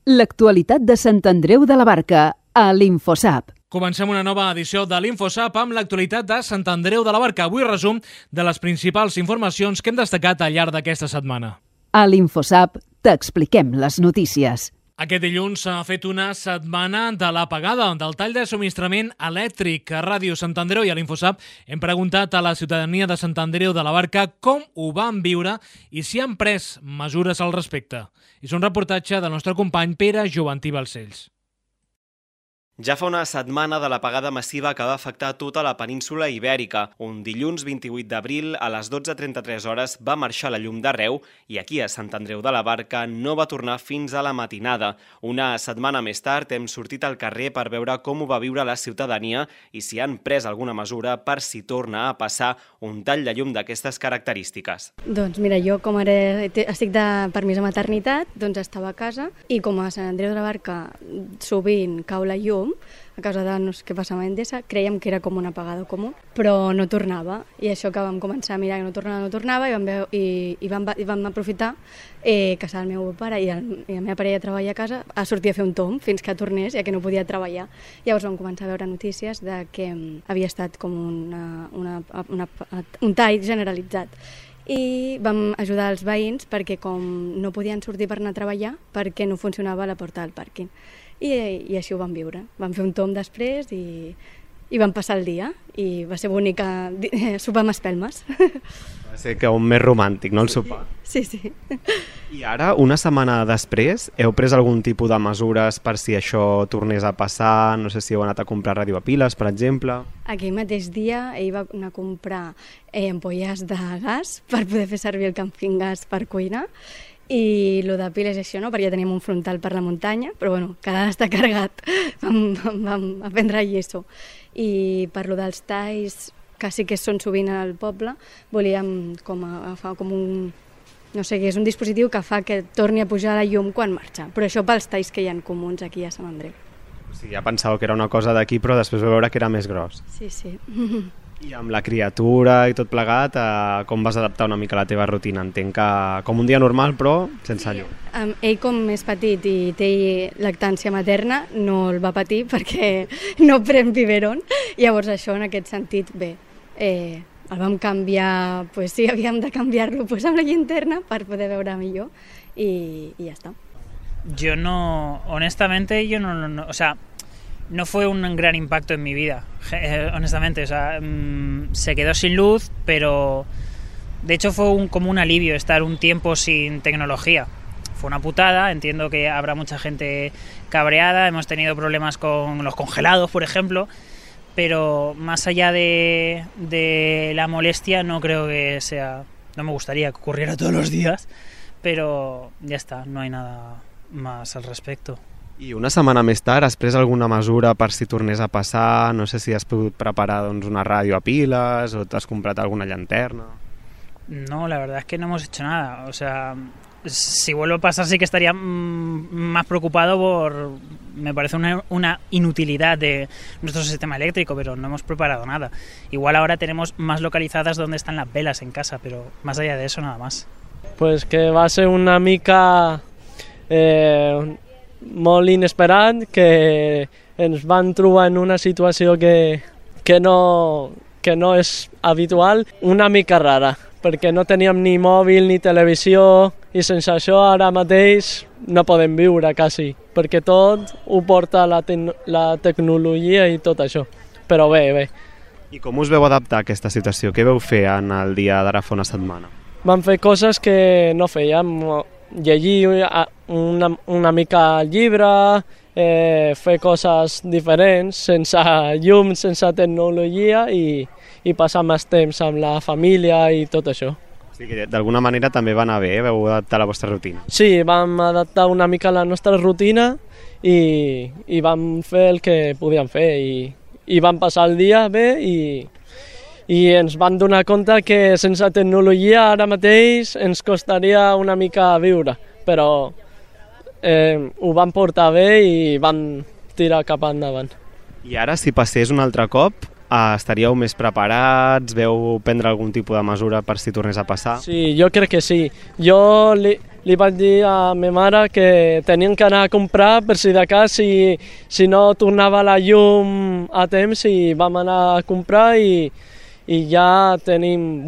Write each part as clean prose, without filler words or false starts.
L'actualitat de Sant Andreu de la Barca, a l'Infosap. Comencem una nova edició de l'Infosap amb l'actualitat de Sant Andreu de la Barca. Avui resum de les principals informacions que hem destacat al llarg d'aquesta setmana. A l'Infosap t'expliquem les notícies. Aquest dilluns s'ha fet una setmana de l'apagada del tall de subministrament elèctric. A Ràdio Sant Andreu i a l'Infosap hem preguntat a la ciutadania de Sant Andreu de la Barca com ho van viure i si han pres mesures al respecte. És un reportatge del nostre company Pere Joventí Balcells. Ja fa una setmana de l'apagada massiva que va afectar tota la península Ibèrica. Un dilluns 28 d'abril, a les 12:33 hores, va marxar la llum d'arreu i aquí a Sant Andreu de la Barca no va tornar fins a la matinada. Una setmana més tard hem sortit al carrer per veure com ho va viure la ciutadania i si han pres alguna mesura per si torna a passar un tall de llum d'aquestes característiques. Doncs mira, jo com ara estic de permís de maternitat, doncs estava a casa i com a Sant Andreu de la Barca sovint cau la llum, a causa de no sé què passava a Endesa, creiem que era com una apagada comú, però no tornava. I això que vam començar a mirar que no tornava i vam aprofitar que estava el meu pare i la meva parella treballa a casa a sortir a fer un tomb fins que tornés, ja que no podia treballar. Llavors vam començar a veure notícies de que havia estat com un tall generalitzat. I vam ajudar els veïns perquè com no podien sortir per anar a treballar perquè no funcionava la porta del pàrquing. I així ho vam viure. Vam fer un tomb després i vam passar el dia i va ser bonic sopar amb espelmes. Va ser que un més romàntic, no, el sopar? Sí. I ara, una setmana després, heu pres algun tipus de mesures per si això tornés a passar? No sé si heu anat a comprar ràdio a piles, per exemple? Aquell mateix dia ell va anar a comprar ampolles de gas per poder fer servir el camping gas per cuinar. I el de piles això no, perquè ja teníem un frontal per la muntanya, però bueno, cada està carregat, vam aprendre lleço. I per lo dels talls, que sí que són sovint al poble, volíem agafar com un, no sé què, és un dispositiu que fa que torni a pujar la llum quan marxa, però això pels talls que hi ha comuns aquí a Sant Andreu. O sigui, ja pensàveu que era una cosa d'aquí, però després vau veure que era més gros. Sí. I amb la criatura i tot plegat, com vas adaptar una mica la teva rutina? Entenc que com un dia normal, però sense llum. Ell, com és petit i té lactància materna, no el va patir perquè no pren biberon. Llavors això, en aquest sentit, bé, el vam canviar, pues sí, havíem de canviar-lo pues, amb la llinterna per poder veure millor i ja està. Yo no, honestamente, o sea, no fue un gran impacto en mi vida, honestamente, o sea, se quedó sin luz, pero de hecho fue como un alivio estar un tiempo sin tecnología. Fue una putada, entiendo que habrá mucha gente cabreada, hemos tenido problemas con los congelados, por ejemplo, pero más allá de la molestia no creo que sea, no me gustaría que ocurriera todos los días, pero ya está, no hay nada más al respecto. I una setmana més tard has pres alguna mesura per si tornés a passar? No sé si has pogut preparar una ràdio a piles o t'has comprat alguna llanterna. No, la verdad es que no hemos hecho nada. O sea, si vuelve a pasar sí que estaría más preocupado me parece una inutilidad de nuestro sistema eléctrico, pero no hemos preparado nada. Igual ahora tenemos más localizadas dónde están las velas en casa, pero más allá de eso nada más. Pues que va a ser una mica molt inesperat, que ens van trobar en una situació que no és habitual, una mica rara, perquè no teníem ni mòbil ni televisió i sense això ara mateix no podem viure quasi, perquè tot ho porta la tecnologia i tot això, però bé. I com us veu adaptar a aquesta situació? Què veu fer en el dia d'ara fa una setmana? Vam fer coses que no fèiem, llegir una mica el llibre, fer coses diferents, sense llum, sense tecnologia i passar més temps amb la família i tot això. O sigui que d'alguna manera també va anar bé, vau adaptar la vostra rutina. Sí, vam adaptar una mica la nostra rutina i vam fer el que podíem fer i vam passar el dia bé i ens van donar compte que sense tecnologia ara mateix ens costaria una mica viure, però ho van portar bé i van tirar cap endavant. I ara, si passés un altre cop, estaríeu més preparats? Veu prendre algun tipus de mesura per si tornés a passar? Sí, jo crec que sí. Jo li vaig dir a ma mare que tenien que anar a comprar per si de cas si no tornava la llum a temps, i vam anar a comprar i ja tenim...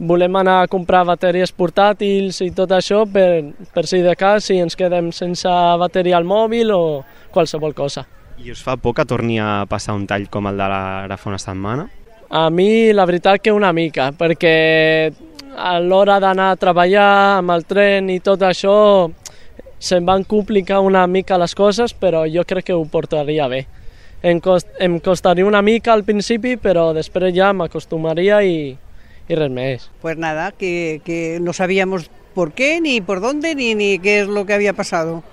volem anar a comprar bateries portàtils i tot això per si de cas si ens quedem sense bateria al mòbil o qualsevol cosa. I us fa por que torni a passar un tall com el de ara fa una setmana? A mi la veritat que una mica, perquè a l'hora d'anar a treballar amb el tren i tot això se'm van complicar una mica les coses, però jo crec que ho portaria bé. Em costaria una mica al principi, però després ja m'acostumaria y res més. Pues nada, que no sabíamos por qué, ni por dónde, ni qué es lo que había pasado.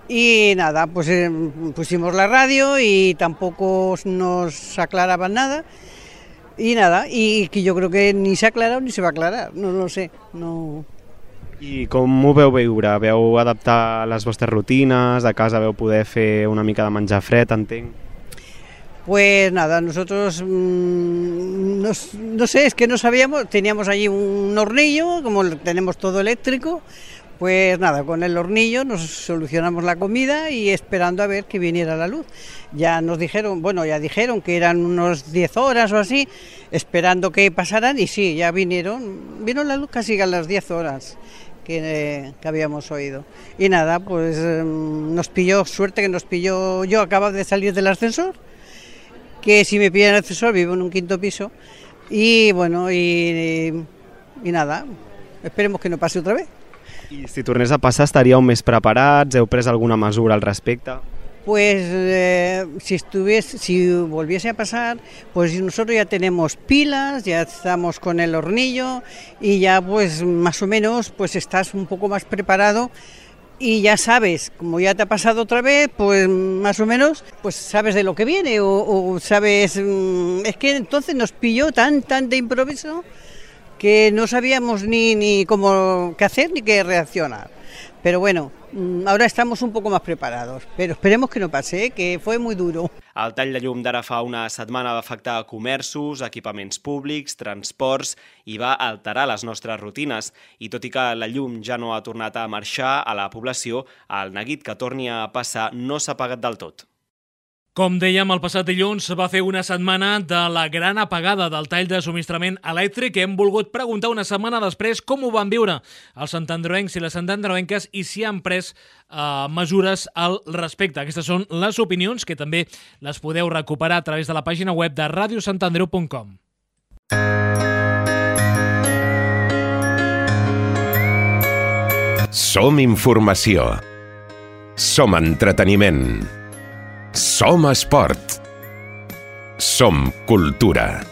Y nada, pues pusimos la radio y tampoco nos aclaraban nada. Y nada, y que yo creo que ni s'ha aclarat ni se va aclarar, no sé. No. I com ho veu viure? Veu adaptar les vostres rutines? A casa veu poder fer una mica de menjar fred, entenc? Pues nada, nosotros, no sé, es que no sabíamos, teníamos allí un hornillo, como tenemos todo eléctrico, pues nada, con el hornillo nos solucionamos la comida y esperando a ver que viniera la luz. Ya nos dijeron, ya dijeron que eran unos 10 horas o así, esperando que pasaran, y sí, ya vino la luz casi a las 10 horas. Que habíamos oído. Y nada, pues nos pilló, suerte que nos pilló, yo acabo de salir del ascensor, que si me pillan el ascensor vivo en un 5º piso, y bueno, y nada, esperemos que no pase otra vez. I si tornés a passar, estaríeu més preparats? Heu pres alguna mesura al respecte? Pues si volviese a pasar, pues nosotros ya tenemos pilas, ya estamos con el hornillo y ya pues más o menos pues estás un poco más preparado y ya sabes, como ya te ha pasado otra vez, pues más o menos pues sabes de lo que viene o sabes, es que entonces nos pilló tan de improviso que no sabíamos ni cómo qué hacer ni qué reaccionar. Pero bueno, ahora estamos un poco más preparados, pero esperemos que no pase, que fue muy duro. El tall de llum d'ara fa una setmana va afectar comerços, equipaments públics, transports i va alterar les nostres rutines. I tot i que la llum ja no ha tornat a marxar a la població, el neguit que torni a passar no s'ha apagat del tot. Com dèiem, el passat dilluns va fer una setmana de la gran apagada del tall de subministrament elèctric. Hem volgut preguntar una setmana després com ho van viure els santandroencs i les santandroenques i si han pres mesures al respecte. Aquestes són les opinions que també les podeu recuperar a través de la pàgina web de radiosantandreu.com. Som informació. Som entreteniment. Som esport. Som cultura.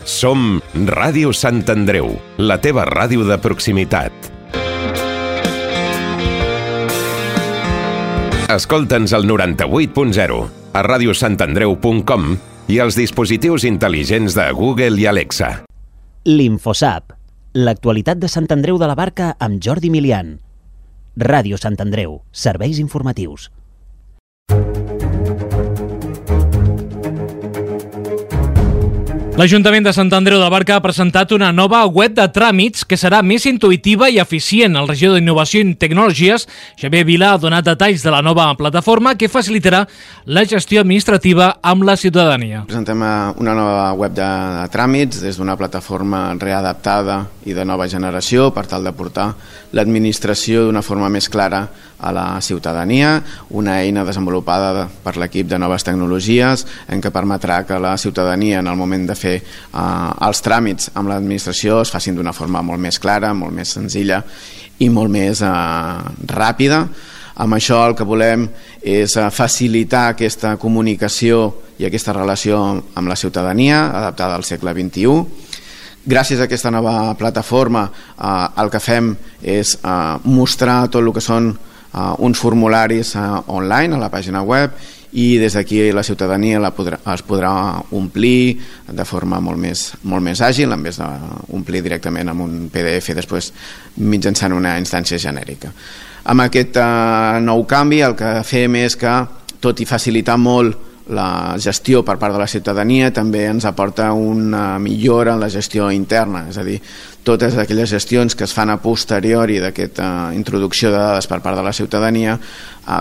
Som Ràdio Sant Andreu, la teva ràdio de proximitat. Escolta'ns al 98.0, a radiosantandreu.com i als dispositius intel·ligents de Google i Alexa. L'Infosap, l'actualitat de Sant Andreu de la Barca amb Jordi Milian. Ràdio Sant Andreu, serveis informatius. L'Ajuntament de Sant Andreu de la Barca ha presentat una nova web de tràmits que serà més intuïtiva i eficient. El regidor d'Innovació i Tecnologies, Xavier Vila, ha donat detalls de la nova plataforma que facilitarà la gestió administrativa amb la ciutadania. Presentem una nova web de tràmits des d'una plataforma readaptada i de nova generació per tal de portar l'administració d'una forma més clara a la ciutadania, una eina desenvolupada per l'equip de noves tecnologies en què permetrà que la ciutadania en el moment de fer els tràmits amb l'administració es facin d'una forma molt més clara, molt més senzilla i molt més ràpida. Amb això el que volem és facilitar aquesta comunicació i aquesta relació amb la ciutadania adaptada al segle XXI. Gràcies a aquesta nova plataforma el que fem és mostrar tot el que són uns formularis online a la pàgina web i des d'aquí la ciutadania es podrà omplir de forma molt més àgil en vez d'omplir directament amb un PDF després mitjançant una instància genèrica. Amb aquest nou canvi el que fem és que, tot i facilitar molt la gestió per part de la ciutadania, també ens aporta una millora en la gestió interna, és a dir, totes aquelles gestions que es fan a posteriori d'aquesta introducció de dades per part de la ciutadania.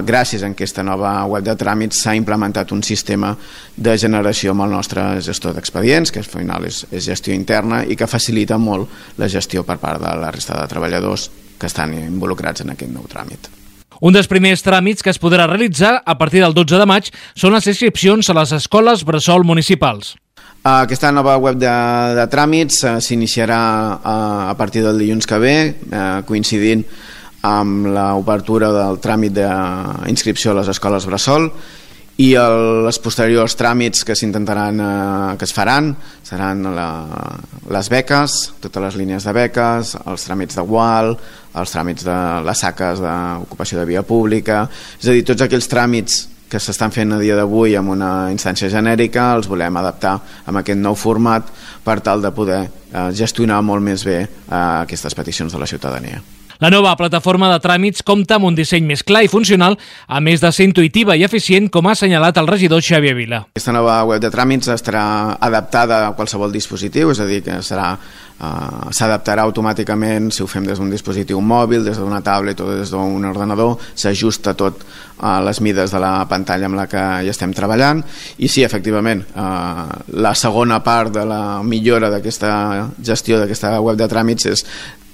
Gràcies a aquesta nova web de tràmits s'ha implementat un sistema de generació amb el nostre gestor d'expedients, que al final és gestió interna i que facilita molt la gestió per part de la resta de treballadors que estan involucrats en aquest nou tràmit. Un dels primers tràmits que es podrà realitzar a partir del 12 de maig són les inscripcions a les escoles bressol municipals. Aquesta nova web de tràmits s'iniciarà a partir del dilluns que ve, coincidint amb l'obertura del tràmit d'inscripció a les escoles bressol, i els posteriors tràmits que que es faran seran les beques, totes les línies de beques, els tràmits de UAL, els tràmits de les saques d'ocupació de via pública, és a dir, tots aquells tràmits que s'estan fent a dia d'avui amb una instància genèrica els volem adaptar amb aquest nou format per tal de poder gestionar molt més bé aquestes peticions de la ciutadania. La nova plataforma de tràmits compta amb un disseny més clar i funcional, a més de ser intuïtiva i eficient, com ha assenyalat el regidor Xavier Vila. Aquesta nova web de tràmits estarà adaptada a qualsevol dispositiu, és a dir, que s'adaptarà automàticament si ho fem des d'un dispositiu mòbil, des d'una tablet o des d'un ordenador, s'ajusta tot a les mides de la pantalla amb la que hi estem treballant, i sí, efectivament, la segona part de la millora d'aquesta gestió d'aquesta web de tràmits és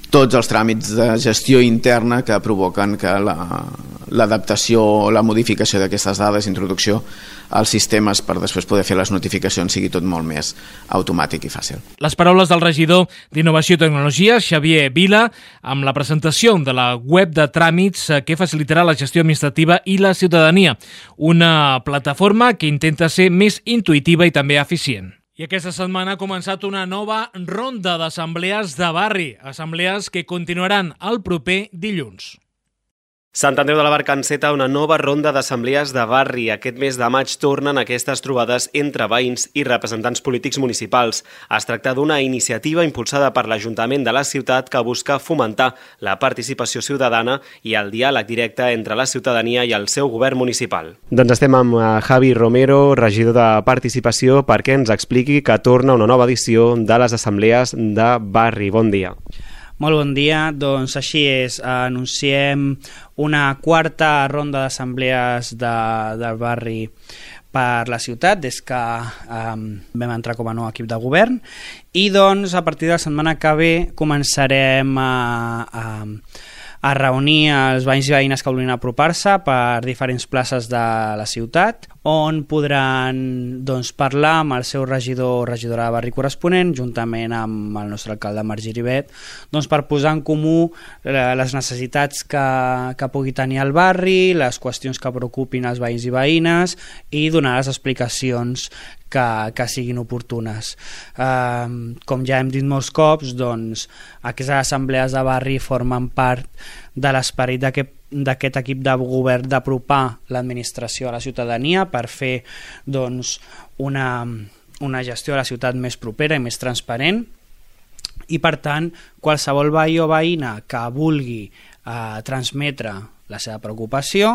tots els tràmits de gestió interna que provoquen que l'adaptació o la modificació d'aquestes dades, introducció als sistemes per després poder fer les notificacions, sigui tot molt més automàtic i fàcil. Les paraules del regidor d'Innovació i Tecnologia, Xavier Vila, amb la presentació de la web de tràmits que facilitarà la gestió administrativa i la ciutadania. Una plataforma que intenta ser més intuïtiva i també eficient. I aquesta setmana ha començat una nova ronda d'assemblees de barri, assemblees que continuaran el proper dilluns. Sant Andreu de la Barca enceta una nova ronda d'assemblees de barri. Aquest mes de maig tornen aquestes trobades entre veïns i representants polítics municipals. Es tracta d'una iniciativa impulsada per l'Ajuntament de la ciutat que busca fomentar la participació ciutadana i el diàleg directe entre la ciutadania i el seu govern municipal. Doncs estem amb Javi Romero, regidor de Participació, perquè ens expliqui que torna una nova edició de les assemblees de barri. Bon dia. Molt bon dia, doncs així és, anunciem una quarta ronda d'assemblees del barri per la ciutat des que vam entrar com a nou equip de govern, i doncs a partir de la setmana que ve començarem a reunir els veïns i veïnes que vulguin apropar-se per diferents places de la ciutat, on podran parlar amb el seu regidor o regidora de barri corresponent, juntament amb el nostre alcalde Marc Giribet, per posar en comú les necessitats que pugui tenir el barri, les qüestions que preocupin els veïns i veïnes, i donar les explicacions que siguin oportunes. Com ja hem dit molts cops, aquestes assemblees de barri formen part de l'esperit d'aquest equip de govern d'apropar l'administració a la ciutadania per fer una gestió de la ciutat més propera i més transparent, i per tant qualsevol veí o veïna que vulgui transmetre la seva preocupació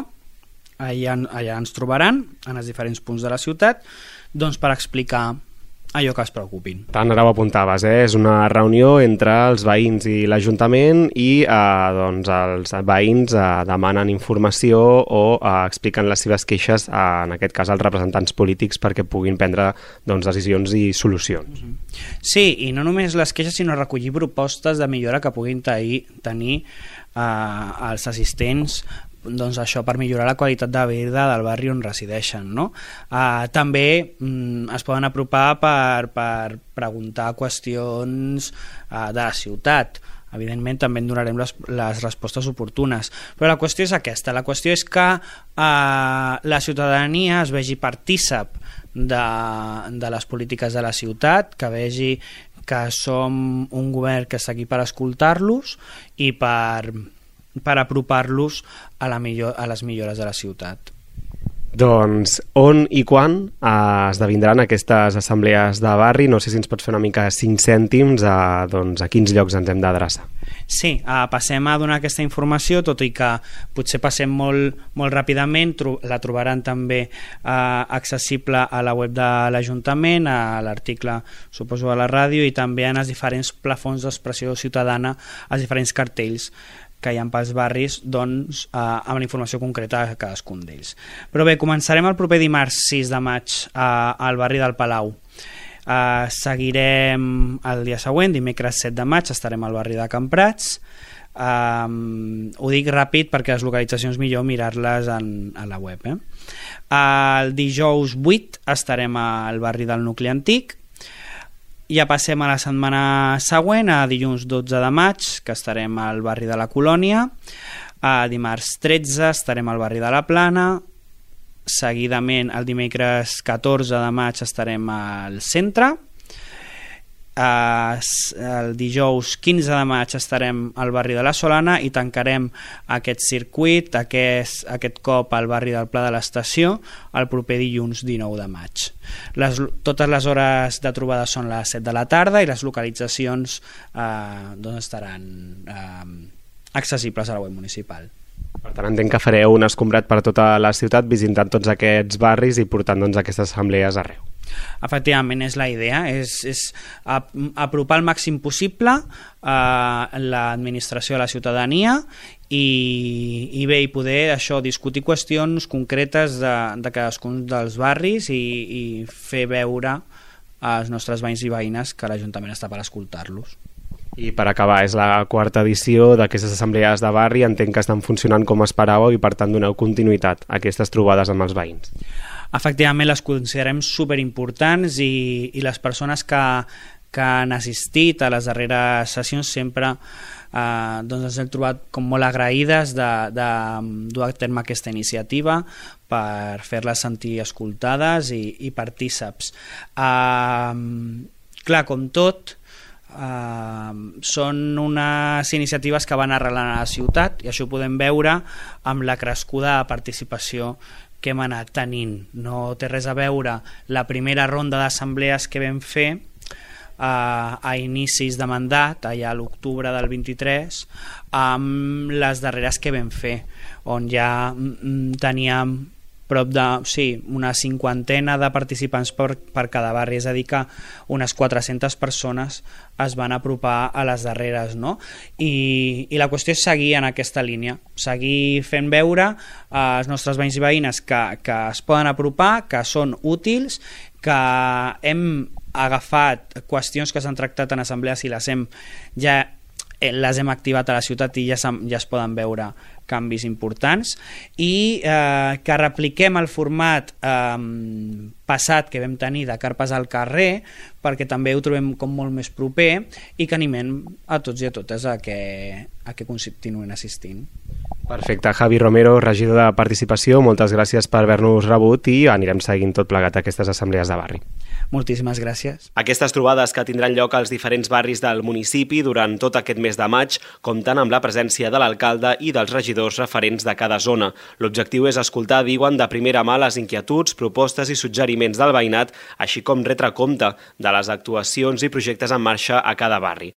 allà ens trobaran en els diferents punts de la ciutat per explicar allò que es preocupin. Tant ara ho apuntaves, és una reunió entre els veïns i l'Ajuntament i els veïns demanen informació o expliquen les seves queixes, en aquest cas als representants polítics, perquè puguin prendre decisions i solucions. Sí, i no només les queixes, sinó recollir propostes de millora que puguin tenir els assistents, això per millorar la qualitat de vida del barri on resideixen, no? També es poden apropar per preguntar qüestions de la ciutat. Evidentment també en donarem les respostes oportunes, però la qüestió és aquesta, la qüestió és que la ciutadania es vegi partícip de les polítiques de la ciutat, que vegi que som un govern que està aquí per escoltar-los i per apropar-los a les millores de la ciutat. Doncs on i quan esdevindran aquestes assemblees de barri? No sé si ens pots fer una mica 5 cèntims a quins llocs ens hem d'adreçar. Sí, passem a donar aquesta informació, tot i que potser passem molt ràpidament. La trobaran també accessible a la web de l'Ajuntament, a l'article, suposo, a la ràdio, i també en els diferents plafons d'expressió ciutadana, els diferents cartells que hi ha pels barris, doncs, amb la informació concreta de cadascun d'ells. Però bé, començarem el proper dimarts 6 de maig al barri del Palau. Seguirem el dia següent, dimecres 7 de maig, estarem al barri de Camprats. Ho dic ràpid perquè les localitzacions millor mirar-les a la web. El dijous 8 estarem al barri del Nucli Antic. Ja passem a la setmana següent, a dilluns 12 de maig, que estarem al barri de la Colònia. A dimarts 13 estarem al barri de la Plana. Seguidament, el dimecres 14 de maig estarem al centre. El dijous 15 de maig estarem al barri de la Solana i tancarem aquest circuit, aquest cop al barri del Pla de l'Estació, el proper dilluns 19 de maig. Totes les hores de trobada són les 7 de la tarda i les localitzacions estaran accessibles a la web municipal. Per tant, entenc que fareu un escombrat per tota la ciutat visitant tots aquests barris i portant aquestes assemblees arreu. Efectivament, és la idea, és apropar el màxim possible l'administració a la ciutadania i bé, i poder discutir qüestions concretes de cadascun dels barris i fer veure als nostres veïns i veïnes que l'Ajuntament està per escoltar-los. I per acabar, és la 4ª edició d'aquestes assemblees de barri, entenc que estan funcionant com esperàveu i per tant doneu continuïtat a aquestes trobades amb els veïns. Efectivament, les considerem superimportants i les persones que han assistit a les darreres sessions sempre ens hem trobat com molt agraïdes de dur a terme aquesta iniciativa per fer-les sentir escoltades i partíceps. Clar, com tot, són unes iniciatives que van arrelant a la ciutat i això ho podem veure amb la crescuda participació que hem anat tenint. No té res a veure la primera ronda d'assemblees que vam fer a inicis de mandat, allà a l'octubre del 23, amb les darreres que vam fer, on ja teníem prop una 50ena de participants per cada barri, és a dir que unes 400 persones es van apropar a les darreres, no? I la qüestió és seguir en aquesta línia, seguir fent veure als nostres veïns i veïnes que es poden apropar, que són útils, que hem agafat qüestions que s'han tractat en assemblees i les hem activat a la ciutat i ja es poden veure canvis importants i que repliquem el format passat que vam tenir de carpes al carrer perquè també ho trobem com molt més proper i que animem a tots i a totes a que continuïn assistint. Perfecte. Javi Romero, regidor de Participació, moltes gràcies per haver-nos rebut i anirem seguint tot plegat aquestes assemblees de barri. Moltíssimes gràcies. Aquestes trobades que tindran lloc als diferents barris del municipi durant tot aquest mes de maig compten amb la presència de l'alcalde i dels regidors referents de cada zona. L'objectiu és escoltar, diuen, de primera mà les inquietuds, propostes i suggeriments del veïnat, així com retre compte de les actuacions i projectes en marxa a cada barri.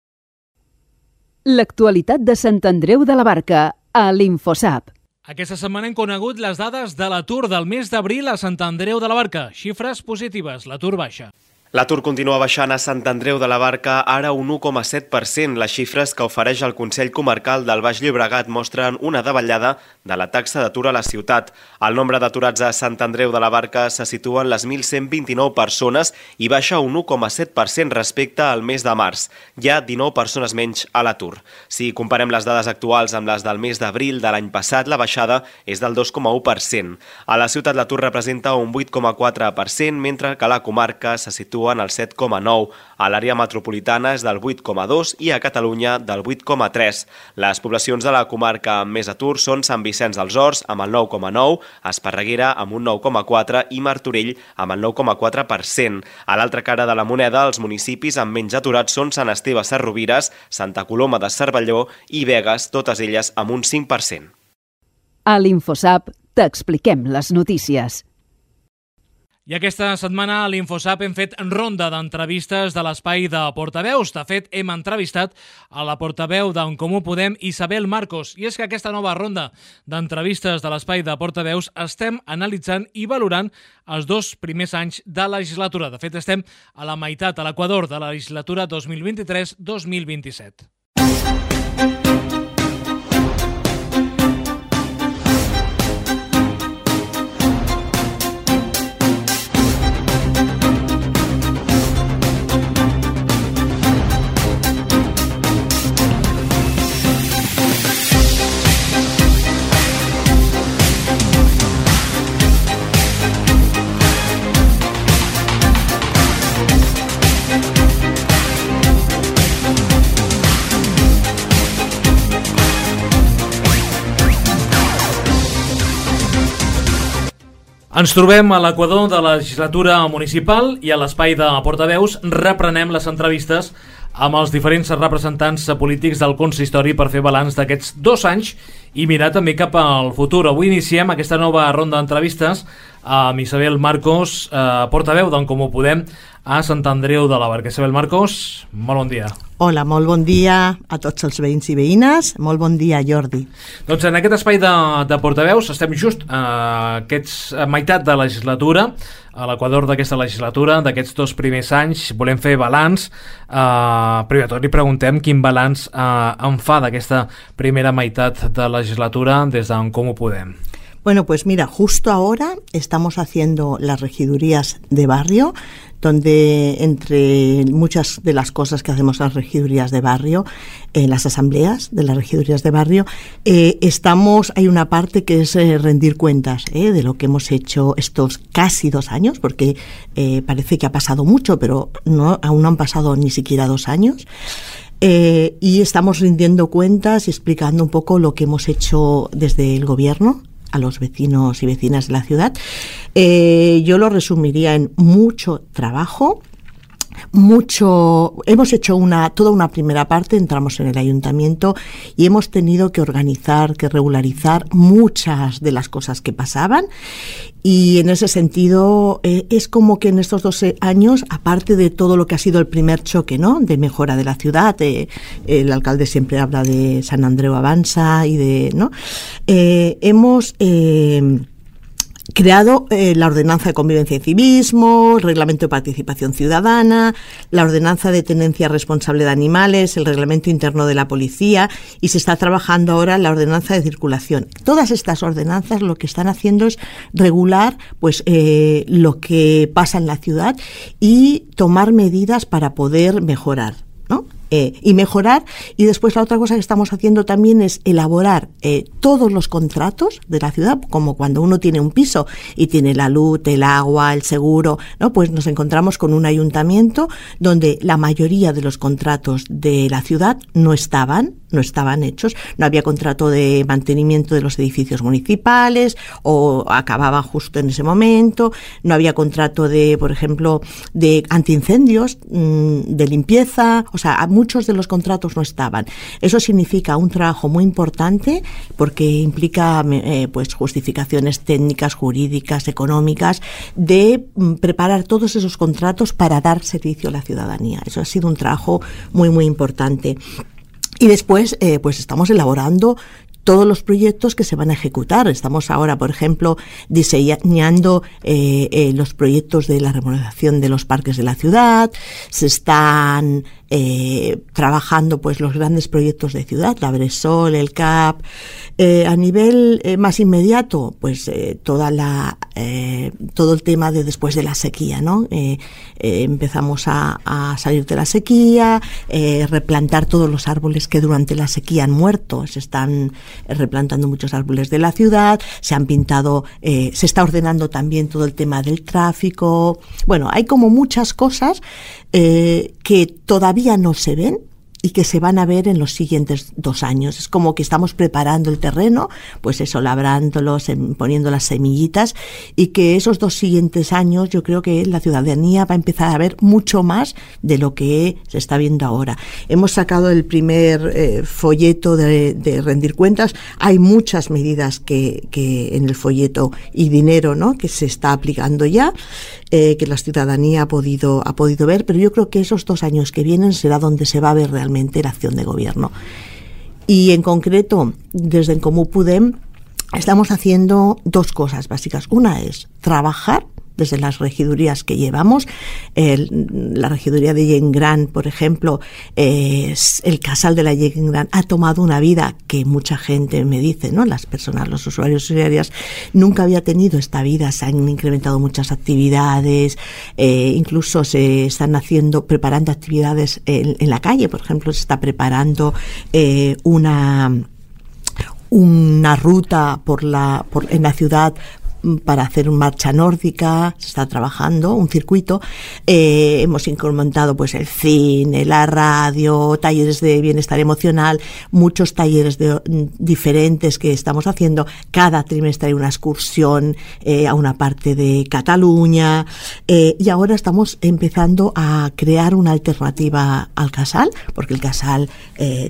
L'actualitat de Sant Andreu de la Barca a l'Infosap. Aquesta setmana hem conegut les dades de l'atur del mes d'abril a Sant Andreu de la Barca. Xifres positives, l'atur baixa. L'atur continua baixant a Sant Andreu de la Barca, ara un 1,7%. Les xifres que ofereix el Consell Comarcal del Baix Llobregat mostren una davallada de la taxa d'atur a la ciutat. El nombre d'aturats a Sant Andreu de la Barca se situa en les 1.129 persones i baixa un 1,7% respecte al mes de març. Hi ha 19 persones menys a l'atur. Si comparem les dades actuals amb les del mes d'abril de l'any passat, la baixada és del 2,1%. A la ciutat l'atur representa un 8,4%, mentre que a la comarca se situa en el 7,9%. A l'àrea metropolitana és del 8,2% i a Catalunya del 8,3%. Les poblacions de la comarca amb més atur són Sant Vicenç dels Horts amb el 9,9%, Esparreguera amb un 9,4% i Martorell amb el 9,4%. A l'altra cara de la moneda, els municipis amb menys aturats són Sant Esteve Sesrovires, Santa Coloma de Cervelló i Begues, totes elles amb un 5%. A l'Infosap t'expliquem les notícies. I aquesta setmana a l'Infosap hem fet ronda d'entrevistes de l'espai de portaveus. De fet, hem entrevistat a la portaveu d'En Comú Podem, Isabel Marcos. I és que aquesta nova ronda d'entrevistes de l'espai de portaveus estem analitzant i valorant els 2 primers anys de legislatura. De fet, estem a la meitat, a l'equador de la legislatura 2023-2027. Ens trobem a l'equador de la legislatura municipal i a l'espai de portaveus reprenem les entrevistes amb els diferents representants polítics del consistori per fer balanç d'aquests 2 anys i mirar també cap al futur. Avui iniciem aquesta nova ronda d'entrevistes amb Isabel Marcos, portaveu d'En Comú Podem a Sant Andreu de la Barca. Isabel Marcos, molt bon dia. Hola, molt bon dia a tots els veïns i veïnes. Molt bon dia, Jordi. Doncs en aquest espai de portaveus estem just a meitat de legislatura, a l'equador d'aquesta legislatura, d'aquests 2 primers anys. Volem fer balanç. Primer de tot li preguntem quin balanç en fa d'aquesta primera meitat de legislatura des d'En Comú Podem. Bueno, pues mira, justo ahora estamos haciendo las regidurías de barrio, donde entre muchas de las cosas que hacemos en las regidurías de barrio, en las asambleas de las regidurías de barrio, hay una parte que es rendir cuentas de lo que hemos hecho estos casi 2 años, porque parece que ha pasado mucho, pero aún no han pasado ni siquiera 2 años. Y estamos rindiendo cuentas y explicando un poco lo que hemos hecho desde el gobierno a los vecinos y vecinas de la ciudad. Yo lo resumiría en mucho trabajo, hemos hecho toda una primera parte, entramos en el ayuntamiento y hemos tenido que organizar, que regularizar muchas de las cosas que pasaban, y en ese sentido es como que en estos 2 años, aparte de todo lo que ha sido el primer choque, ¿no?, de mejora de la ciudad, el alcalde siempre habla de Sant Andreu Avança y hemos creado la ordenanza de convivencia y civismo, el reglamento de participación ciudadana, la ordenanza de tenencia responsable de animales, el reglamento interno de la policía, y se está trabajando ahora la ordenanza de circulación. Todas estas ordenanzas lo que están haciendo es regular lo que pasa en la ciudad y tomar medidas para poder mejorar, ¿no? Y mejorar. Y después la otra cosa que estamos haciendo también es elaborar todos los contratos de la ciudad, como cuando uno tiene un piso y tiene la luz, el agua, el seguro, ¿no? Pues nos encontramos con un ayuntamiento donde la mayoría de los contratos de la ciudad no estaban hechos, no había contrato de mantenimiento de los edificios municipales o acababan justo en ese momento, no había contrato de, por ejemplo, de antiincendios, de limpieza, o sea, muchos de los contratos no estaban. Eso significa un trabajo muy importante porque implica justificaciones técnicas, jurídicas, económicas, de preparar todos esos contratos para dar servicio a la ciudadanía. Eso ha sido un trabajo muy, muy importante. Y después, estamos elaborando todos los proyectos que se van a ejecutar. Estamos ahora, por ejemplo, diseñando los proyectos de la remodelación de los parques de la ciudad. Se están trabajando los grandes proyectos de ciudad, la Bresol, el CAP. A nivel más inmediato, todo el tema de después de la sequía, ¿no? Empezamos a salir de la sequía, replantar todos los árboles que durante la sequía han muerto. Se están replantando muchos árboles de la ciudad, se han pintado, se está ordenando también todo el tema del tráfico. Bueno, hay como muchas cosas que todavía no se ven, y que se van a ver en los siguientes 2 años. Es como que estamos preparando el terreno, pues eso, labrándolos, poniendo las semillitas, y que esos 2 siguientes años yo creo que la ciudadanía va a empezar a ver mucho más de lo que se está viendo ahora. Hemos sacado el primer folleto de rendir cuentas. Hay muchas medidas que en el folleto y dinero, ¿no?, que se está aplicando ya, que la ciudadanía ha podido ver, pero yo creo que esos 2 años que vienen será donde se va a ver realmente la acción de gobierno. Y en concreto, desde En Comú Podem estamos haciendo 2 cosas básicas. Una es trabajar desde las regidurías que llevamos. La regiduría de Gent Gran, por ejemplo, el casal de la Gent Gran ha tomado una vida que mucha gente me dice, ¿no?, las personas, los usuarios y usuarias, nunca había tenido esta vida. Se han incrementado muchas actividades, incluso se están preparando actividades en la calle. Por ejemplo, se está preparando una ruta en la ciudad para hacer una marcha nórdica. Se está trabajando un circuito. Hemos incrementado pues el cine, la radio, talleres de bienestar emocional, muchos talleres diferentes que estamos haciendo. Cada trimestre hay una excursión a una parte de Cataluña, y ahora estamos empezando a crear una alternativa al casal, porque el casal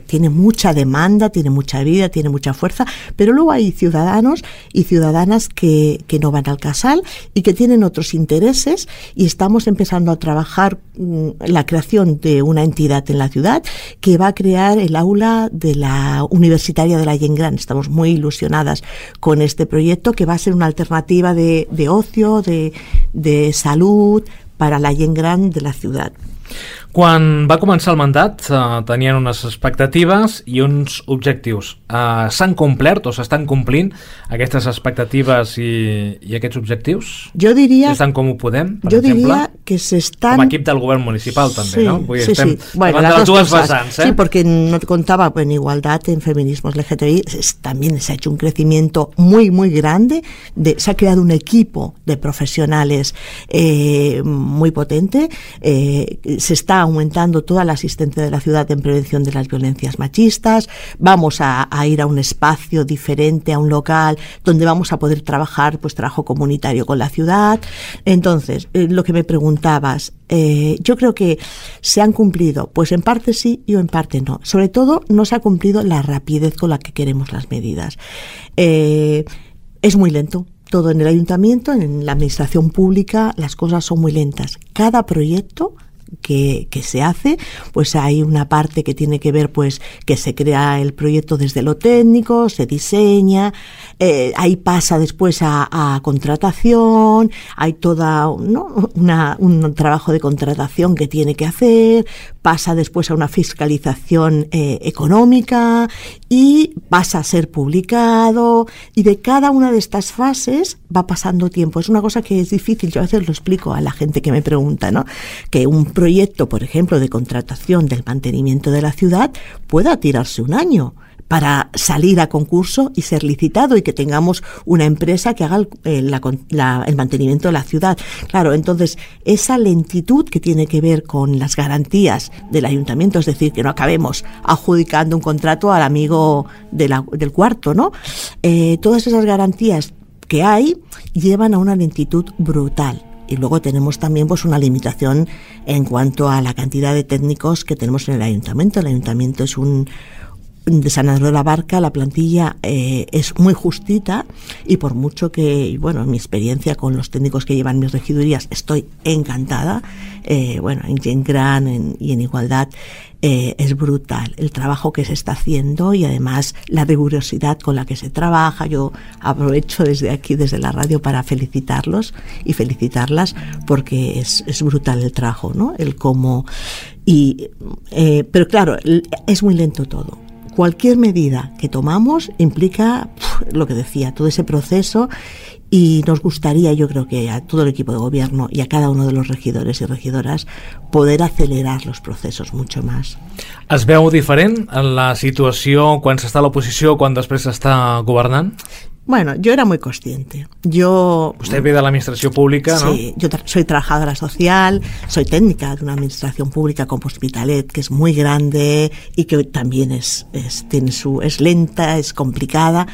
tiene mucha demanda, tiene mucha vida, tiene mucha fuerza, pero luego hay ciudadanos y ciudadanas que no van al casal y que tienen otros intereses, y estamos empezando a trabajar la creación de una entidad en la ciudad que va a crear el aula de la universitaria de la Gent Gran. Estamos muy ilusionadas con este proyecto, que va a ser una alternativa de ocio, de salud para la Gent Gran de la ciudad. Quan va començar el mandat tenien unes expectatives i uns objectius. S'han complert o s'estan complint aquestes expectatives i aquests objectius? Jo diria... Estan Com Ho Podem, per jo exemple? Diria que s'estan... Com a equip del govern municipal, també, sí, ¿no? Vull dir, sí, estem sí. Bueno, davant de les dues cosas. vessants, Sí, porque no te contaba, en igualdad, en feminismos LGTBI, también se ha hecho un crecimiento muy, muy grande. Se ha creado un equipo de profesionales muy potente. Se está aumentando toda la asistencia de la ciudad en prevención de las violencias machistas. Vamos a ir a un espacio diferente, a un local donde vamos a poder trabajar, pues trabajo comunitario con la ciudad. Entonces, lo que me preguntabas, yo creo que se han cumplido, pues en parte sí y en parte no. Sobre todo no se ha cumplido la rapidez con la que queremos las medidas. Es muy lento. Todo en el ayuntamiento, en la administración pública, las cosas son muy lentas. Cada proyecto que se hace, pues hay una parte que tiene que ver, pues que se crea el proyecto desde lo técnico, se diseña, ahí pasa después a contratación, hay toda un trabajo de contratación que tiene que hacer, pasa después a una fiscalización económica y pasa a ser publicado, y de cada una de estas fases va pasando tiempo. Es una cosa que es difícil, yo a veces lo explico a la gente que me pregunta, ¿no?, que un proyecto, por ejemplo, de contratación del mantenimiento de la ciudad pueda tirarse 1 año para salir a concurso y ser licitado, y que tengamos una empresa que haga el mantenimiento de la ciudad. Claro, entonces esa lentitud que tiene que ver con las garantías del ayuntamiento, es decir, que no acabemos adjudicando un contrato al amigo del cuarto, ¿no? Todas esas garantías que hay llevan a una lentitud brutal. Y luego tenemos también pues una limitación en cuanto a la cantidad de técnicos que tenemos en el ayuntamiento. El ayuntamiento es de San Andreu de la Barca, la plantilla es muy justita, y por mucho que, bueno, en mi experiencia con los técnicos que llevan mis regidurías estoy encantada, en Gent Gran y en Igualdad, es brutal el trabajo que se está haciendo, y además la rigurosidad con la que se trabaja. Yo aprovecho desde aquí, desde la radio, para felicitarlos y felicitarlas, porque es brutal el trabajo, ¿no? El cómo. Pero claro, es muy lento todo. Cualquier medida que tomamos implica lo que decía, todo ese proceso, y nos gustaría, yo creo que a todo el equipo de gobierno y a cada uno de los regidores y regidoras, poder acelerar los procesos mucho más. Es veu diferent en la situació quan s'està a l'oposició, quan després s'està governant? Bueno, yo era muy consciente. Usted ve de la administración pública, ¿no? Sí, yo soy trabajadora social, soy técnica de una administración pública como Hospitalet, que es muy grande y que también es lenta, es complicada.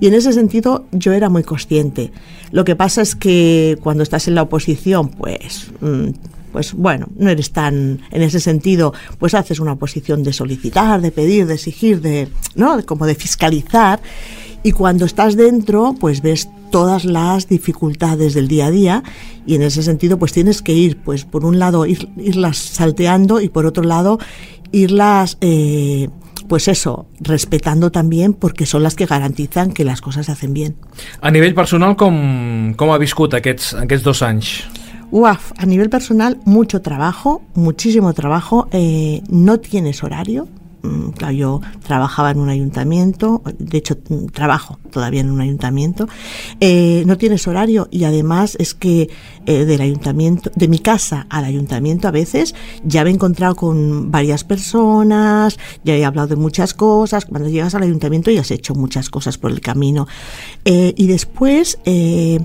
Y en ese sentido yo era muy consciente. Lo que pasa es que cuando estás en la oposición, pues bueno, no eres tan, en ese sentido, pues haces una oposición de solicitar, de pedir, de exigir, ¿no? Como de fiscalizar. Y cuando estás dentro, pues ves todas las dificultades del día a día y en ese sentido pues tienes que ir, pues por un lado irlas salteando y por otro lado irlas, pues eso, respetando también porque son las que garantizan que las cosas se hacen bien. A nivell personal, com ha viscut aquests 2 anys? A nivel personal, mucho trabajo, muchísimo trabajo, no tienes horario. Claro, yo trabajaba en un ayuntamiento, de hecho trabajo todavía en un ayuntamiento, no tienes horario y además es que del ayuntamiento, de mi casa al ayuntamiento a veces ya me he encontrado con varias personas, ya he hablado de muchas cosas, cuando llegas al ayuntamiento ya has hecho muchas cosas por el camino y después,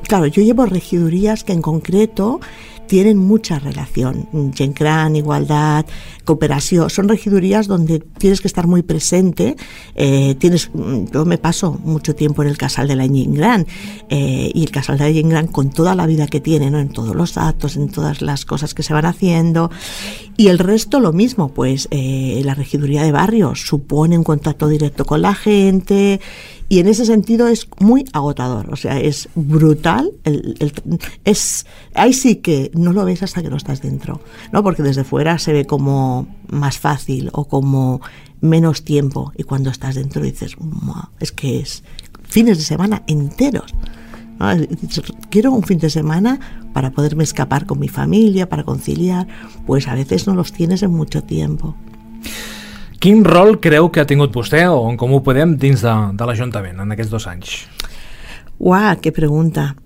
claro, yo llevo regidurías que en concreto tienen mucha relación. Gent Gran, Igualdad, Cooperació, son regidurías donde tienes que estar muy presente. Yo me paso mucho tiempo en el Casal de la Gent Gran y el Casal de la Gent Gran con toda la vida que tiene, ¿no? En todos los actos, en todas las cosas que se van haciendo. Y el resto lo mismo, pues la regiduría de barrios supone un contacto directo con la gente. Y en ese sentido es muy agotador, o sea, es brutal. Ahí sí que no lo ves hasta que no estás dentro, ¿no? Porque desde fuera se ve como más fácil o como menos tiempo. Y cuando estás dentro dices, es que es fines de semana enteros, ¿no? Quiero un fin de semana para poderme escapar con mi familia, para conciliar. Pues a veces no los tienes en mucho tiempo. Quin rol creu que ha tingut vostè o en Comú Podem dins de l'Ajuntament en aquests 2 anys? ¡Qué pregunta!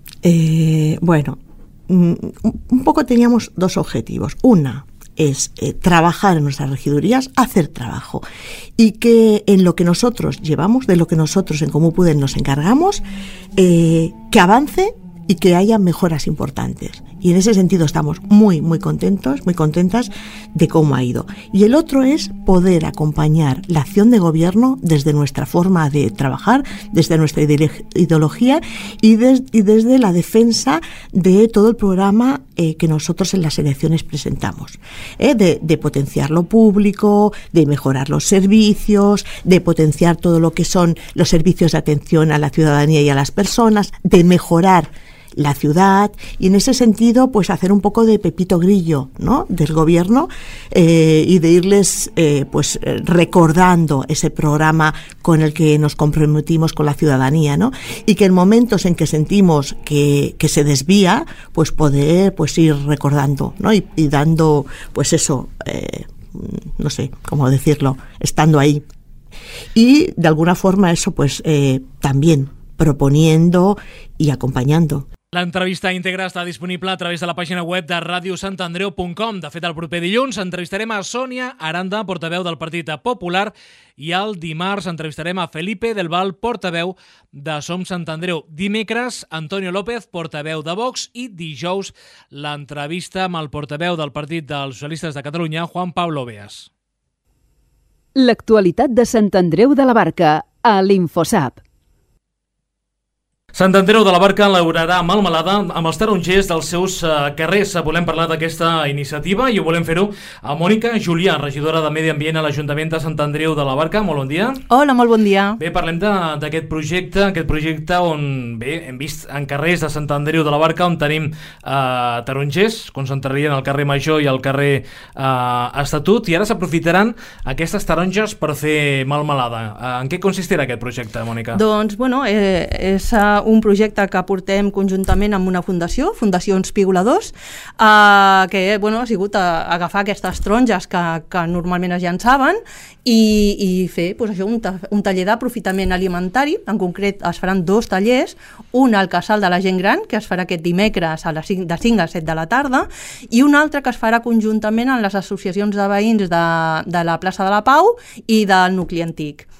Bueno, un poco teníamos 2 objetivos. Una es trabajar en nuestras regidurías, hacer trabajo y que en lo que nosotros llevamos, de lo que nosotros en Comú Podem nos encargamos, que avance y que haya mejoras importantes. Y en ese sentido estamos muy contentos, muy contentas de cómo ha ido. Y el otro es poder acompañar la acción de gobierno desde nuestra forma de trabajar, desde nuestra ideología y desde la defensa de todo el programa que nosotros en las elecciones presentamos. De potenciar lo público, de mejorar los servicios, de potenciar todo lo que son los servicios de atención a la ciudadanía y a las personas, de mejorar la ciudad y en ese sentido pues hacer un poco de Pepito Grillo, ¿no? Del gobierno y de irles pues recordando ese programa con el que nos comprometimos con la ciudadanía, ¿no? Y que en momentos en que sentimos que se desvía pues poder pues ir recordando, ¿no? Y dando pues eso, no sé cómo decirlo, estando ahí y de alguna forma eso pues también proponiendo y acompañando. L'entrevista íntegra està disponible a través de la pàgina web de radiosantandreu.com. De fet, el proper dilluns entrevistarem a Sònia Aranda, portaveu del Partit Popular, i el dimarts entrevistarem a Felipe del Val, portaveu de Som Sant Andreu. Dimecres, Antonio López, portaveu de Vox, i dijous l'entrevista amb el portaveu del Partit dels Socialistes de Catalunya, Juan Pablo Beas. L'actualitat de Sant Andreu de la Barca a l'Infosap. Sant Andreu de la Barca elaborarà melmelada amb els tarongers dels seus carrers. Volem parlar d'aquesta iniciativa i ho volem fer-ho a Mònica Julià, regidora de Medi Ambient a l'Ajuntament de Sant Andreu de la Barca. Molt bon dia. Hola, molt bon dia. Bé, parlem d'aquest projecte on bé, hem vist en carrers de Sant Andreu de la Barca on tenim tarongers, concentrarien al carrer Major i al carrer Estatut, i ara s'aprofitaran aquestes taronges per fer melmelada. En què consistirà aquest projecte, Mònica? Doncs, bueno, és un projecte que portem conjuntament amb una fundació, Fundacions Pigoladors, que bueno, ha sigut agafar aquestes taronges que normalment es llançaven i fer pues, això, un taller d'aprofitament alimentari. En concret es faran 2 tallers, un al Casal de la Gent Gran, que es farà aquest dimecres de 5 a 7 de la tarda, i un altre que es farà conjuntament amb les associacions de veïns de la plaça de la Pau i del nucli antic.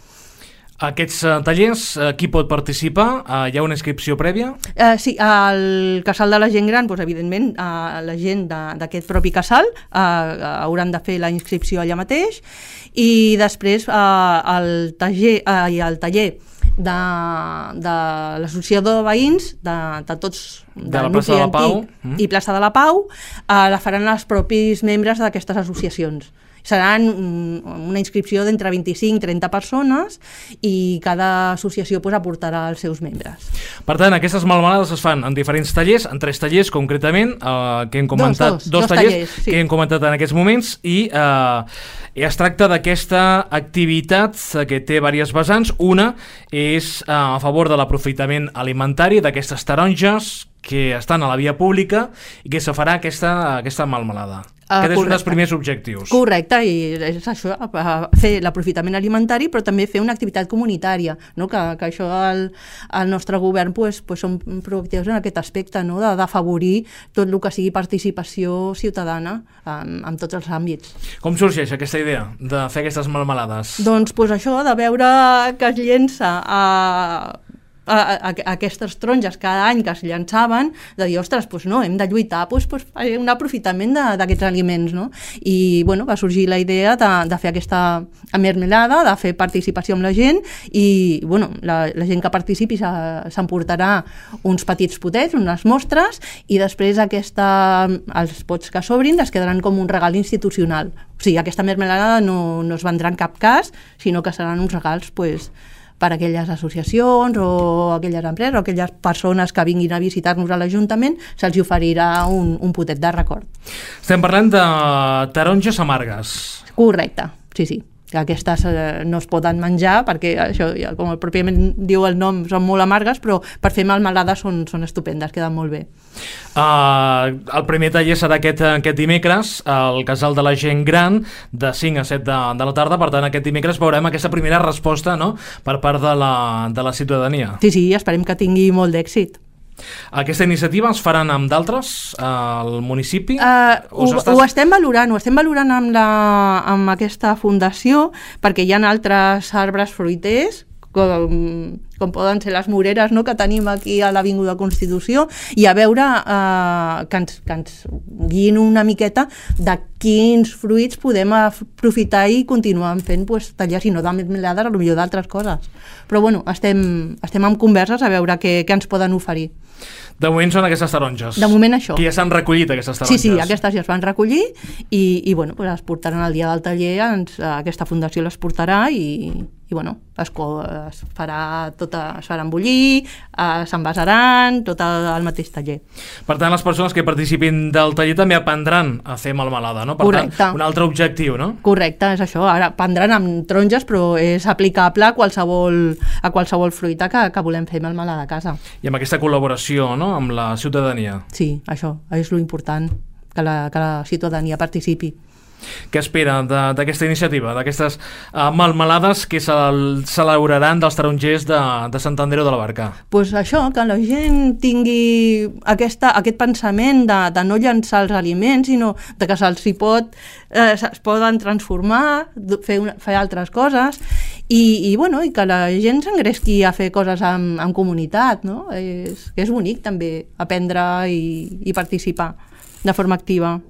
Aquests tallers, qui pot participar? Hi ha una inscripció prèvia? Sí, al casal de la gent gran, doncs, evidentment, la gent d'aquest propi casal hauran de fer la inscripció allà mateix, i després el taller de l'associació de veïns de tots de la plaça de la Pau i plaça de la Pau la faran els propis membres d'aquestes associacions. Seran una inscripció d'entre 25 i 30 persones i cada associació aportarà els seus membres. Per tant, aquestes melmelades es fan en diferents tallers, en 3 tallers concretament, que hem comentat, dos tallers sí, que hem comentat en aquests moments, i es tracta d'aquesta activitat que té diverses vessants. Una és a favor de l'aprofitament alimentari d'aquestes taronges que estan a la via pública i que se farà aquesta melmelada. Aquest és un dels primers objectius. Correcte, i és això, fer l'aprofitament alimentari, però també fer una activitat comunitària, no? Que això el nostre govern som proactius en aquest aspecte, no? D'afavorir tot el que sigui participació ciutadana en tots els àmbits. Com sorgeix aquesta idea de fer aquestes melmelades? Doncs això, de veure que es llença aquestes taronges cada any que es llançaven, de dir, ostres, no, hem de lluitar per un aprofitament d'aquests aliments, no? I va sorgir la idea de fer aquesta mermelada, de fer participació amb la gent, i la gent que participi s'emportarà uns petits potets, unes mostres, i després els pots que s'obrin es quedaran com un regal institucional. O sigui, aquesta mermelada no es vendrà en cap cas, sinó que seran uns regals per a aquelles associacions o aquelles empreses o aquelles persones que vinguin a visitar-nos a l'Ajuntament, se'ls oferirà un potet de record. Estem parlant de taronges amargues. Correcte, sí. Aquestes no es poden menjar perquè, això, com pròpiament diu el nom, són molt amargues, però per fer melmelades són estupendes, queden molt bé. El primer taller serà aquest dimecres al Casal de la Gent Gran de 5 a 7 de la tarda. Per tant, aquest dimecres veurem aquesta primera resposta, no?, per part de la ciutadania. Sí, esperem que tingui molt d'èxit. Aquesta iniciativa es faran amb d'altres al municipi? Ho estem valorant amb aquesta fundació, perquè hi ha altres arbres fruiters com poden ser les moreres, no?, que tenim aquí a l'Avinguda Constitució, i a veure que ens guiïn una miqueta de quins fruits podem aprofitar i continuar fent tallers, i no de mermelades, potser d'altres coses. Però estem en converses a veure què ens poden oferir. De moment són aquestes taronges. De moment això. Que ja s'han recollit, aquestes taronges. Sí, aquestes ja es van recollir i es portaran el dia del taller, aquesta fundació les portarà i es farà es faran bullir, s'envasaran, tot al mateix taller. Per tant, les persones que participin del taller també aprendran a fer melmelada, no? Per tant, un altre objectiu, no? Correcte, és això. Ara aprendran amb taronges, però és aplicable a qualsevol fruita que volem fer melmelada a casa. I amb aquesta col·laboració, no?, amb la ciutadania. Sí, això és lo important, que la ciutadania participi. Què espera d'aquesta iniciativa, d'aquestes melmelades que celebraran dels tarongers de Sant Andreu de la Barca? Doncs això, que la gent tingui aquest pensament de no llançar els aliments, sinó que es poden transformar, fer altres coses, i que la gent s'engresqui a fer coses en comunitat, no? És bonic també aprendre i participar de forma activa.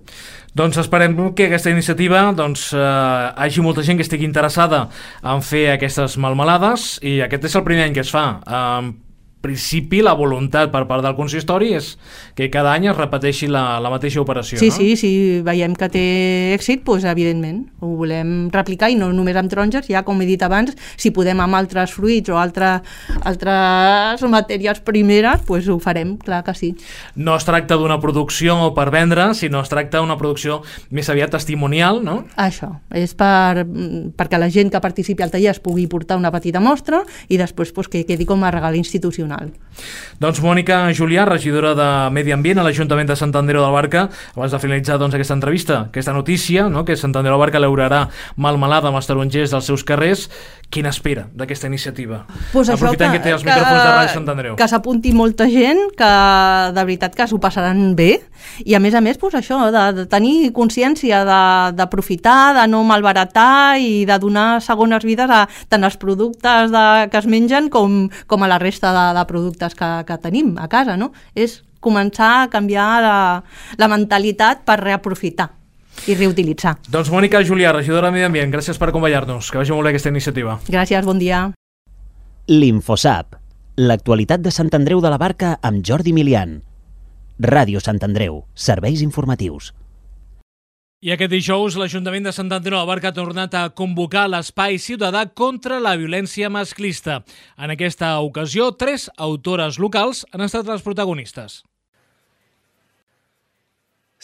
Doncs esperem que aquesta iniciativa hagi molta gent que estigui interessada en fer aquestes melmelades, i aquest és el primer any que es fa. En principi, la voluntat per part del consistori és que cada any es repeteixi la mateixa operació. Sí, no? Si veiem que té èxit, doncs evidentment ho volem replicar, i no només amb taronges, ja com he dit abans, si podem amb altres fruits o altres matèries primeres, doncs ho farem, clar que sí. No es tracta d'una producció per vendre, sinó es tracta d'una producció més aviat testimonial, no? Això, és perquè la gent que participi al taller es pugui portar una petita mostra i després que quedi com a regal institucional. nacional. Doncs Mònica Julià, regidora de Medi Ambient a l'Ajuntament de Sant Andreu de la Barca, abans de finalitzar aquesta entrevista, aquesta notícia, que Sant Andreu de la Barca elaborarà melmelada amb els tarongers dels seus carrers, quina espera d'aquesta iniciativa? Aprofitant que té els micròfons de Ràdio Sant Andreu. Que s'apunti molta gent, que de veritat que s'ho passaran bé, i a més, això, de tenir consciència, d'aprofitar, de no malbaratar i de donar segones vides a tant als productes que es mengen com a la resta de productes que tenim a casa, no? És començar a canviar la mentalitat per reaprofitar i reutilitzar. Doncs Mònica Julià, regidora de Medi Ambient, gràcies per acompanyar-nos. Que vagi molt bé aquesta iniciativa. Gràcies, bon dia. L'Infosap, l'actualitat de Sant Andreu de la Barca amb Jordi Milian. Ràdio Sant Andreu, serveis informatius. I aquest dijous l'Ajuntament de Sant Andreu de la Barca ha tornat a convocar l'Espai Ciutadà contra la violència masclista. En aquesta ocasió, 3 autores locals han estat les protagonistes.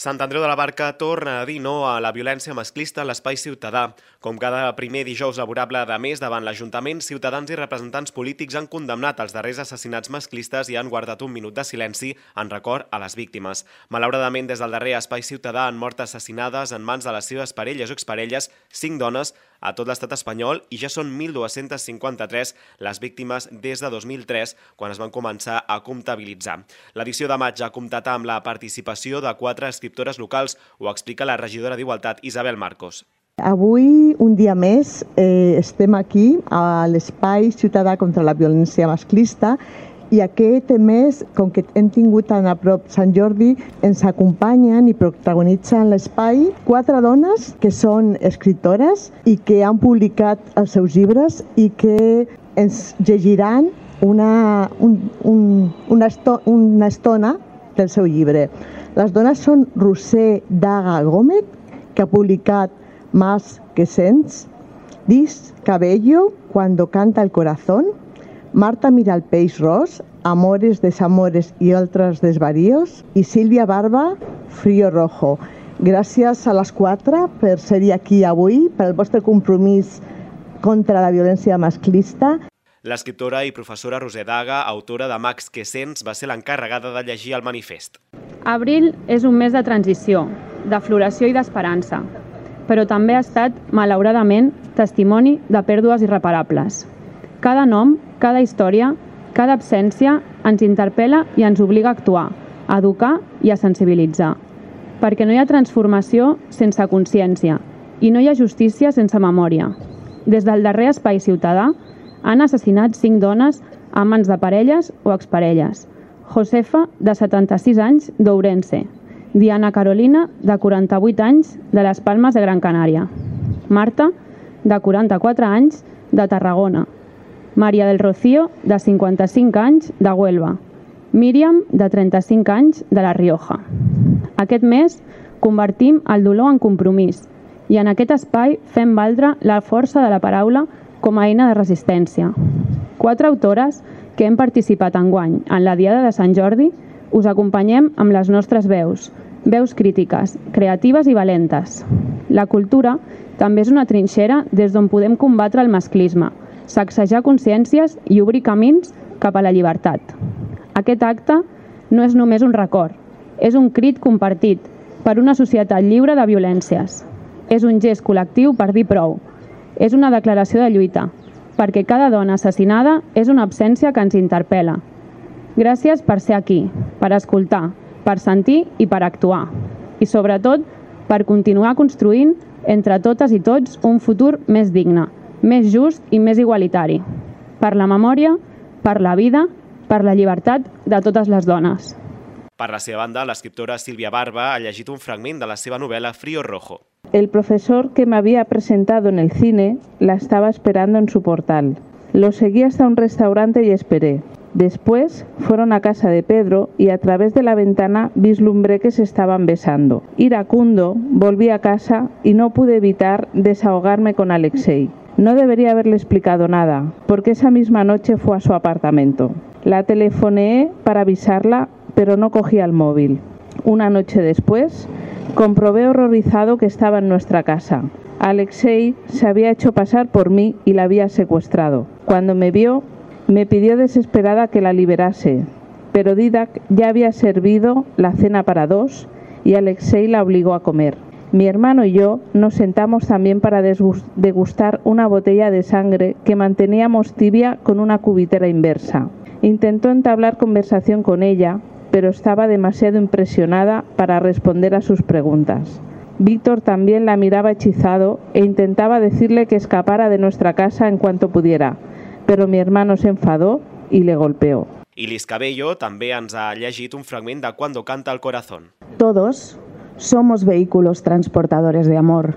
Sant Andreu de la Barca torna a dir no a la violència masclista a l'Espai Ciutadà. Com cada primer dijous laborable de mes davant l'Ajuntament, ciutadans i representants polítics han condemnat els darrers assassinats masclistes i han guardat un minut de silenci en record a les víctimes. Malauradament, des del darrer Espai Ciutadà han mort assassinades en mans de les seves parelles o exparelles 5 dones a tot l'estat espanyol i ja són 1.253 les víctimes des de 2003, quan es van començar a comptabilitzar. L'edició de maig ha comptat amb la participació de 4 escriptores locals, ho explica la regidora d'Igualtat, Isabel Marcos. Avui, un dia més, estem aquí a l'Espai Ciutadà contra la violència masclista i aquest mes, com que hem tingut tan a prop Sant Jordi, ens acompanyen i protagonitzen l'espai 4 dones que són escriptores i que han publicat els seus llibres i que ens llegiran una estona del seu llibre. Les dones són Roser Daga Gómez, que ha publicat Más que Sents, Dis Cabello, Cuando canta el corazón, Marta Miralpeix Ros, Amores, Desamores i altres desvaríos, i Sílvia Barba, Frío Rojo. Gràcies a les 4 per ser aquí avui, pel vostre compromís contra la violència masclista. L'escriptora i professora Roser Daga, autora de Max que Sents, va ser l'encarregada de llegir el manifest. Abril és un mes de transició, de floració i d'esperança, però també ha estat, malauradament, testimoni de pèrdues irreparables. Cada nom, cada història, cada absència ens interpel·la i ens obliga a actuar, a educar i a sensibilitzar. Perquè no hi ha transformació sense consciència i no hi ha justícia sense memòria. Des del darrer Espai Ciutadà han assassinat 5 dones a mans de parelles o exparelles. Josefa, de 76 anys, d'Ourense. Diana Carolina, de 48 anys, de les Palmes de Gran Canària. Marta, de 44 anys, de Tarragona. Maria del Rocío, de 55 anys, de Huelva. Míriam, de 35 anys, de La Rioja. Aquest mes convertim el dolor en compromís i en aquest espai fem valdre la força de la paraula com a eina de resistència. 4 autores que hem participat enguany en la Diada de Sant Jordi us acompanyem amb les nostres veus crítiques, creatives i valentes. La cultura també és una trinxera des d'on podem combatre el masclisme, sacsejar consciències i obrir camins cap a la llibertat. Aquest acte no és només un record, és un crit compartit per una societat lliure de violències. És un gest col·lectiu per dir prou. És una declaració de lluita, perquè cada dona assassinada és una absència que ens interpel·la. Gràcies per ser aquí, per escoltar, per sentir i per actuar. I sobretot, per continuar construint entre totes i tots un futur més digne, més just i més igualitari. Per la memòria, per la vida, per la llibertat de totes les dones. Per la seva banda, l'escriptora Sílvia Barba ha llegit un fragment de la seva novel·la Frío Rojo. El profesor que me había presentado en el cine la estaba esperando en su portal. Lo seguí hasta un restaurante y esperé. Después fueron a casa de Pedro y a través de la ventana vislumbré que se estaban besando. Iracundo, volví a casa y no pude evitar desahogarme con Alexei. No debería haberle explicado nada, porque esa misma noche fue a su apartamento. La telefoneé para avisarla, pero no cogía el móvil. Una noche después, comprobé horrorizado que estaba en nuestra casa. Alexei se había hecho pasar por mí y la había secuestrado. Cuando me vio, Me pidió desesperada que la liberase, pero Didac ya había servido la cena para dos y Alexei la obligó a comer. Mi hermano y yo nos sentamos también para degustar una botella de sangre que manteníamos tibia con una cubitera inversa. Intentó entablar conversación con ella, pero estaba demasiado impresionada para responder a sus preguntas. Víctor también la miraba hechizado e intentaba decirle que escapara de nuestra casa en cuanto pudiera, pero mi hermano se enfadó y le golpeó. I Liz Cabello també ens ha llegit un fragment de Cuando canta el corazón. Todos somos vehículos transportadores de amor,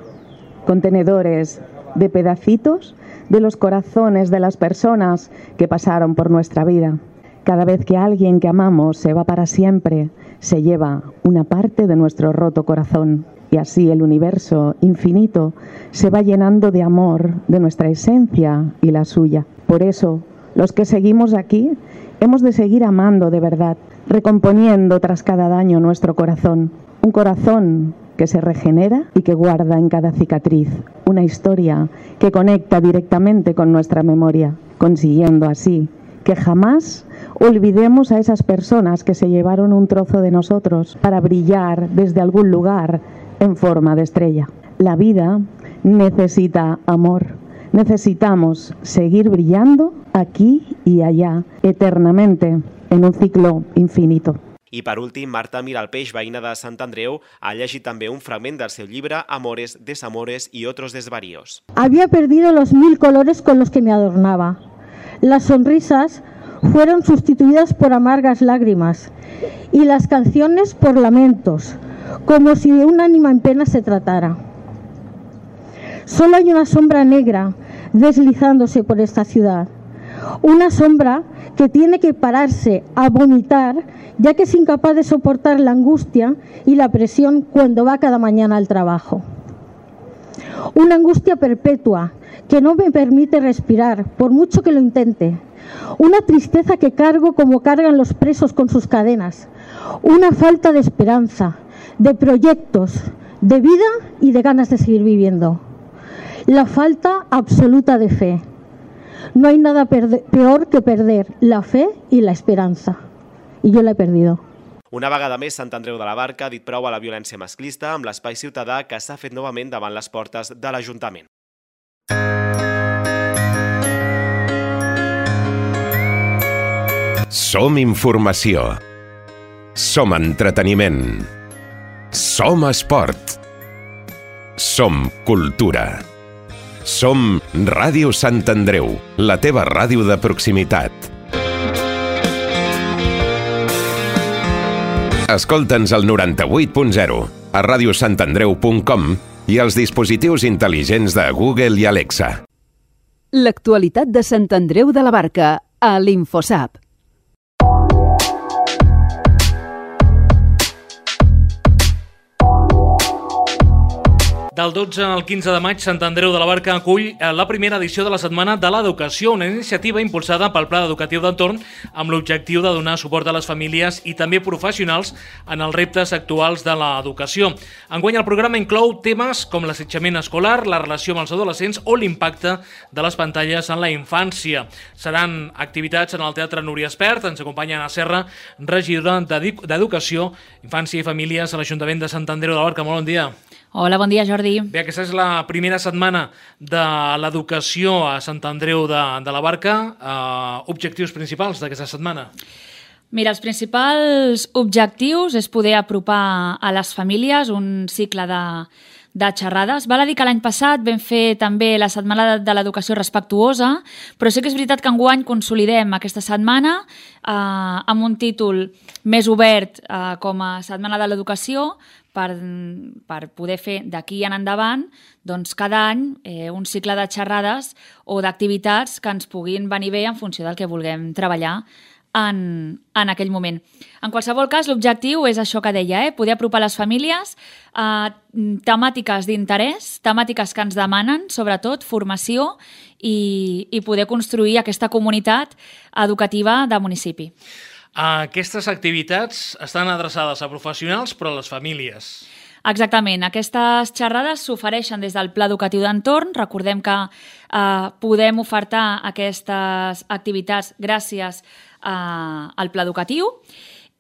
contenedores de pedacitos de los corazones de las personas que pasaron por nuestra vida. Cada vez que alguien que amamos se va para siempre, se lleva una parte de nuestro roto corazón. Y así el universo infinito se va llenando de amor, de nuestra esencia y la suya. Por eso, los que seguimos aquí, hemos de seguir amando de verdad, recomponiendo tras cada daño nuestro corazón. Un corazón que se regenera y que guarda en cada cicatriz una historia que conecta directamente con nuestra memoria, consiguiendo así que jamás olvidemos a esas personas que se llevaron un trozo de nosotros para brillar desde algún lugar en forma de estrella. La vida necesita amor. Necesitamos seguir brillando aquí y allá, eternamente, en un ciclo infinito. I per últim, Marta Miralpeix, veïna de Sant Andreu, ha llegit també un fragment del seu llibre Amores, Desamores y otros desvaríos. Había perdido los 1000 colores con los que me adornaba. Las sonrisas fueron sustituidas por amargas lágrimas y las canciones por lamentos, como si de un ánima en pena se tratara. Solo hay una sombra negra deslizándose por esta ciudad. Una sombra que tiene que pararse a vomitar, ya que es incapaz de soportar la angustia y la presión cuando va cada mañana al trabajo. Una angustia perpetua que no me permite respirar, por mucho que lo intente. Una tristeza que cargo como cargan los presos con sus cadenas. Una falta de esperanza, de proyectos, de vida y de ganas de seguir viviendo. La falta absoluta de fe. No hay nada peor que perder la fe y la esperanza. Y yo la he perdido. Una vegada més, Sant Andreu de la Barca ha dit prou a la violència masclista amb l'espai ciutadà que s'ha fet novament davant les portes de l'Ajuntament. Som informació. Som entreteniment. Som esport. Som cultura. Som Ràdio Sant Andreu, la teva ràdio de proximitat. Escolta'ns al 98.0, a radiosantandreu.com i als dispositius intel·ligents de Google i Alexa. L'actualitat de Sant Andreu de la Barca a l'Infosap. Del 12 al 15 de maig, Sant Andreu de la Barca acull la primera edició de la Setmana de l'Educació, una iniciativa impulsada pel Pla Educatiu d'Entorn amb l'objectiu de donar suport a les famílies i també professionals en els reptes actuals de l'educació. Enguany el programa inclou temes com l'assetjament escolar, la relació amb els adolescents o l'impacte de les pantalles en la infància. Seran activitats en el Teatre Núria Espert, ens acompanya Anna Serra, regidora d'Educació, Infància i Famílies a l'Ajuntament de Sant Andreu de la Barca. Molt bon dia. Hola, bon dia, Jordi. Bé, aquesta és la primera setmana de l'educació a Sant Andreu de la Barca. Objectius principals d'aquesta setmana? Mira, els principals objectius és poder apropar a les famílies un cicle de xerrades. Val a dir que l'any passat vam fer també la Setmana de l'Educació Respectuosa, però sí que és veritat que enguany consolidem aquesta setmana amb un títol més obert com a Setmana de l'Educació per poder fer d'aquí en endavant doncs, cada any un cicle de xerrades o d'activitats que ens puguin venir bé en funció del que vulguem treballar en aquell moment. En qualsevol cas, l'objectiu és això que deia, poder apropar les famílies a temàtiques d'interès, temàtiques que ens demanen, sobretot, formació i poder construir aquesta comunitat educativa del municipi. Aquestes activitats estan adreçades a professionals però a les famílies. Exactament. Aquestes xerrades s'ofereixen des del Pla Educatiu d'Entorn. Recordem que podem ofertar aquestes activitats gràcies al Pla Educatiu.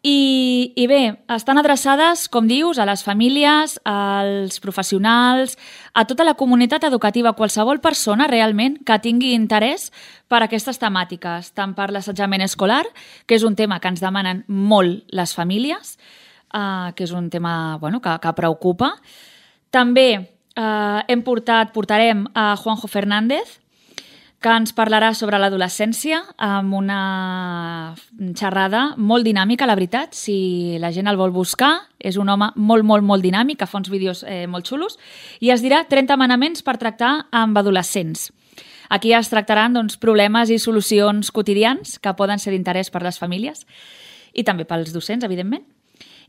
I bé, estan adreçades, com dius, a les famílies, als professionals, a tota la comunitat educativa, qualsevol persona realment que tingui interès per aquestes temàtiques, tant per l'assetjament escolar, que és un tema que ens demanen molt les famílies, que és un tema que preocupa. També portarem a Juanjo Fernández, que ens parlarà sobre l'adolescència amb una xerrada molt dinàmica, la veritat. Si la gent el vol buscar, és un home molt, molt, molt dinàmic, que fa uns vídeos molt xulos, i es dirà 30 manaments per tractar amb adolescents. Aquí es tractaran problemes i solucions quotidians que poden ser d'interès per les famílies i també pels docents, evidentment.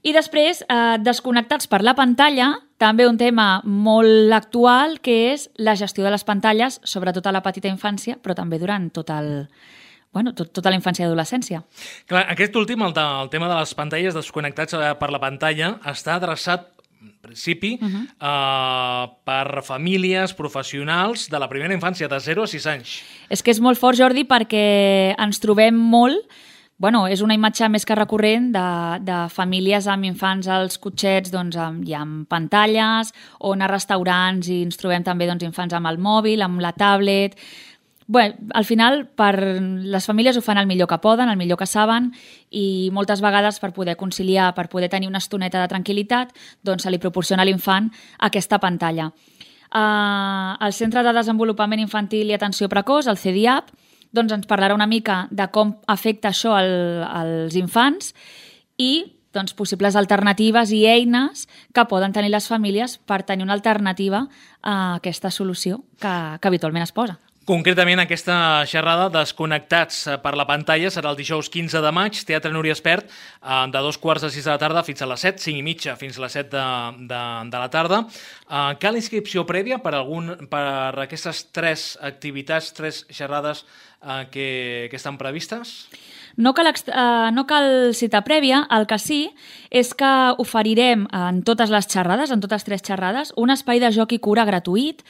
I després, desconnectats per la pantalla, també un tema molt actual, que és la gestió de les pantalles, sobretot a la petita infància, però també durant tota la infància i adolescència. Clar, aquest últim, el tema de les pantalles, desconnectats per la pantalla, està adreçat, en principi, per famílies professionals de la primera infància, de 0 a 6 anys. És que és molt fort, Jordi, perquè ens trobem molt... és una imatge més que recurrent de famílies amb infants als cotxets i amb pantalles, o anar a restaurants i ens trobem també infants amb el mòbil, amb la tablet... Al final, les famílies ho fan el millor que poden, el millor que saben, i moltes vegades per poder conciliar, per poder tenir una estoneta de tranquil·litat, se li proporciona a l'infant aquesta pantalla. El Centre de Desenvolupament Infantil i Atenció Precoç, el CDIAP, ens parlarà una mica de com afecta això als infants i possibles alternatives i eines que poden tenir les famílies per tenir una alternativa a aquesta solució que habitualment es posa. Concretament, aquesta xerrada Desconnectats per la pantalla serà el dijous 15 de maig, Teatre Núria Espert, de 2:45 de la tarda fins a les 7, 5:30 fins a les 7 de la tarda. Cal inscripció prèvia per aquestes 3 activitats, 3 xerrades que estan previstes? No cal cita prèvia, el que sí és que oferirem en totes les xerrades, en totes 3 xerrades, un espai de joc i cura gratuït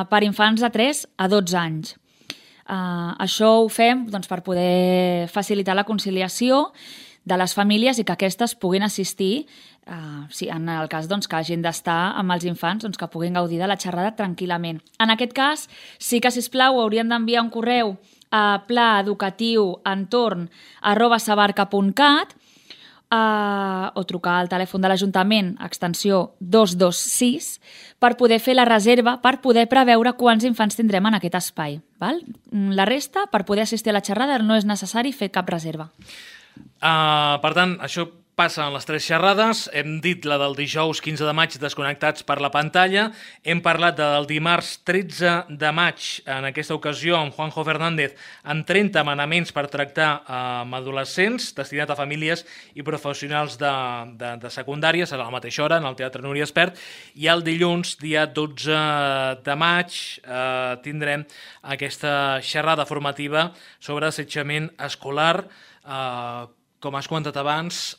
per infants de 3 a 12 anys. Això ho fem per poder facilitar la conciliació de les famílies i que aquestes puguin assistir, en el cas que hagin d'estar amb els infants, que puguin gaudir de la xerrada tranquil·lament. En aquest cas, sí que, sisplau, haurien d'enviar un correu a plaeducatiuentorn@sabarca.cat o trucar al telèfon de l'Ajuntament, extensió 226, per poder fer la reserva, per poder preveure quants infants tindrem en aquest espai. La resta, per poder assistir a la xerrada, no és necessari fer cap reserva. Per tant, això passa en les 3 xerrades. Hem dit la del dijous 15 de maig, Desconnectats per la pantalla. Hem parlat del dimarts 13 de maig, en aquesta ocasió amb Juanjo Fernández, amb 30 manaments per tractar amb adolescents, destinat a famílies i professionals de secundària. Serà a la mateixa hora, en el Teatre Núria Espert. I el dilluns, dia 12 de maig, tindrem aquesta xerrada formativa sobre assetjament escolar. Com has comentat abans,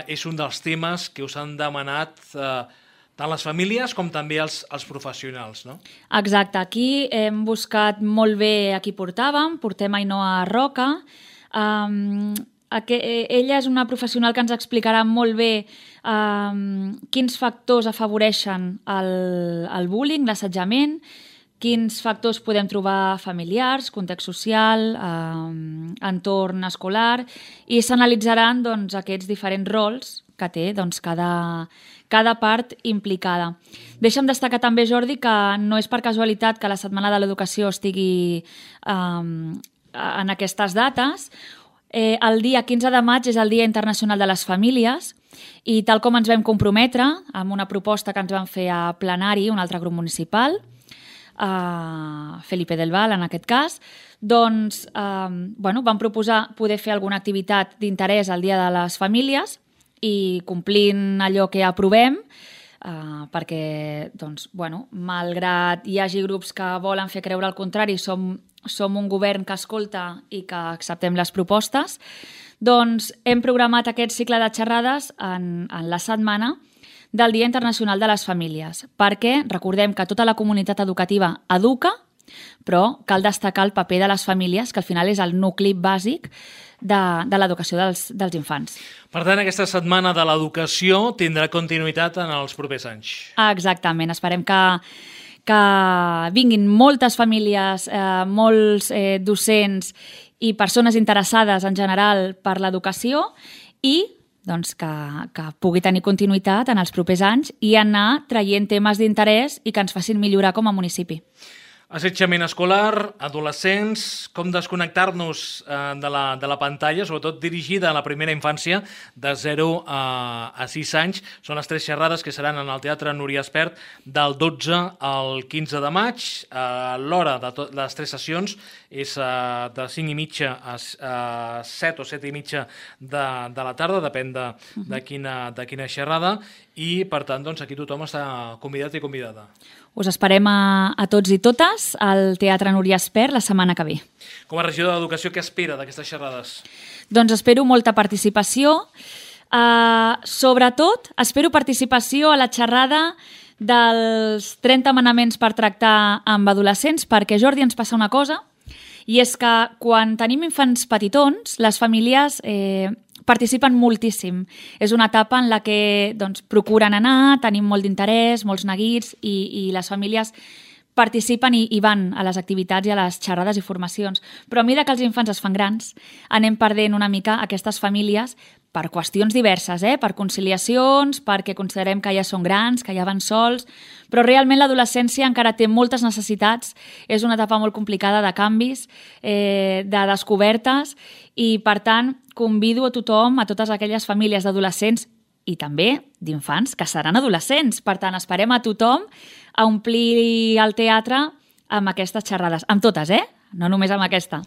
és un dels temes que us han demanat tant les famílies com també els professionals, no? Exacte. Aquí hem buscat molt bé a qui portàvem. Portem Ainhoa Roca. Ella és una professional que ens explicarà molt bé quins factors afavoreixen el bullying, l'assetjament, quins factors podem trobar familiars, context social, entorn escolar, i s'analitzaran aquests diferents rols que té cada part implicada. Deixa'm destacar també, Jordi, que no és per casualitat que la Setmana de l'Educació estigui en aquestes dates. El dia 15 de maig és el Dia Internacional de les Famílies i tal com ens vam comprometre amb una proposta que ens van fer a plenari, un altre grup municipal, Felipe del Val en aquest cas, vam proposar poder fer alguna activitat d'interès al Dia de les Famílies i complint allò que aprovem, perquè, malgrat hi hagi grups que volen fer creure el contrari, som un govern que escolta i que acceptem les propostes, hem programat aquest cicle de xerrades en la setmana del Dia Internacional de les Famílies, perquè recordem que tota la comunitat educativa educa, però cal destacar el paper de les famílies, que al final és el nucli bàsic de l'educació dels infants. Per tant, aquesta setmana de l'educació tindrà continuïtat en els propers anys. Exactament, esperem que vinguin moltes famílies, molts docents i persones interessades en general per l'educació i doncs, que pugui tenir continuïtat en els propers anys i anar traient temes d'interès i que ens facin millorar com a municipi. Assetjament escolar, adolescents, com desconnectar-nos de la pantalla, sobretot dirigida a la primera infància de 0 a 6 anys. Són les 3 xerrades que seran en el Teatre Núria Espert del 12 al 15 de maig. L'hora de les 3 sessions és de 5:30 a 7 o 7:30 de la tarda, depèn de quina xerrada, i per tant doncs, aquí tothom està convidat i convidada. Us esperem a tots i totes al Teatre Núria Espert la setmana que ve. Com a regidor d'Educació, què espera d'aquestes xerrades? Doncs espero molta participació. Sobretot, espero participació a la xerrada dels 30 manaments per tractar amb adolescents, perquè, Jordi, ens passa una cosa, i és que quan tenim infants petitons, les famílies participen moltíssim. És una etapa en la que procuren anar, tenim molt d'interès, molts neguits, i les famílies participen i van a les activitats i a les xerrades i formacions. Però a mesura que els infants es fan grans, anem perdent una mica aquestes famílies per qüestions diverses, per conciliacions, perquè considerem que ja són grans, que ja van sols, però realment l'adolescència encara té moltes necessitats, és una etapa molt complicada de canvis, de descobertes, i per tant convido a tothom, a totes aquelles famílies d'adolescents i també d'infants que seran adolescents. Per tant, esperem a tothom a omplir el teatre amb aquestes xerrades. Amb totes, no només amb aquesta.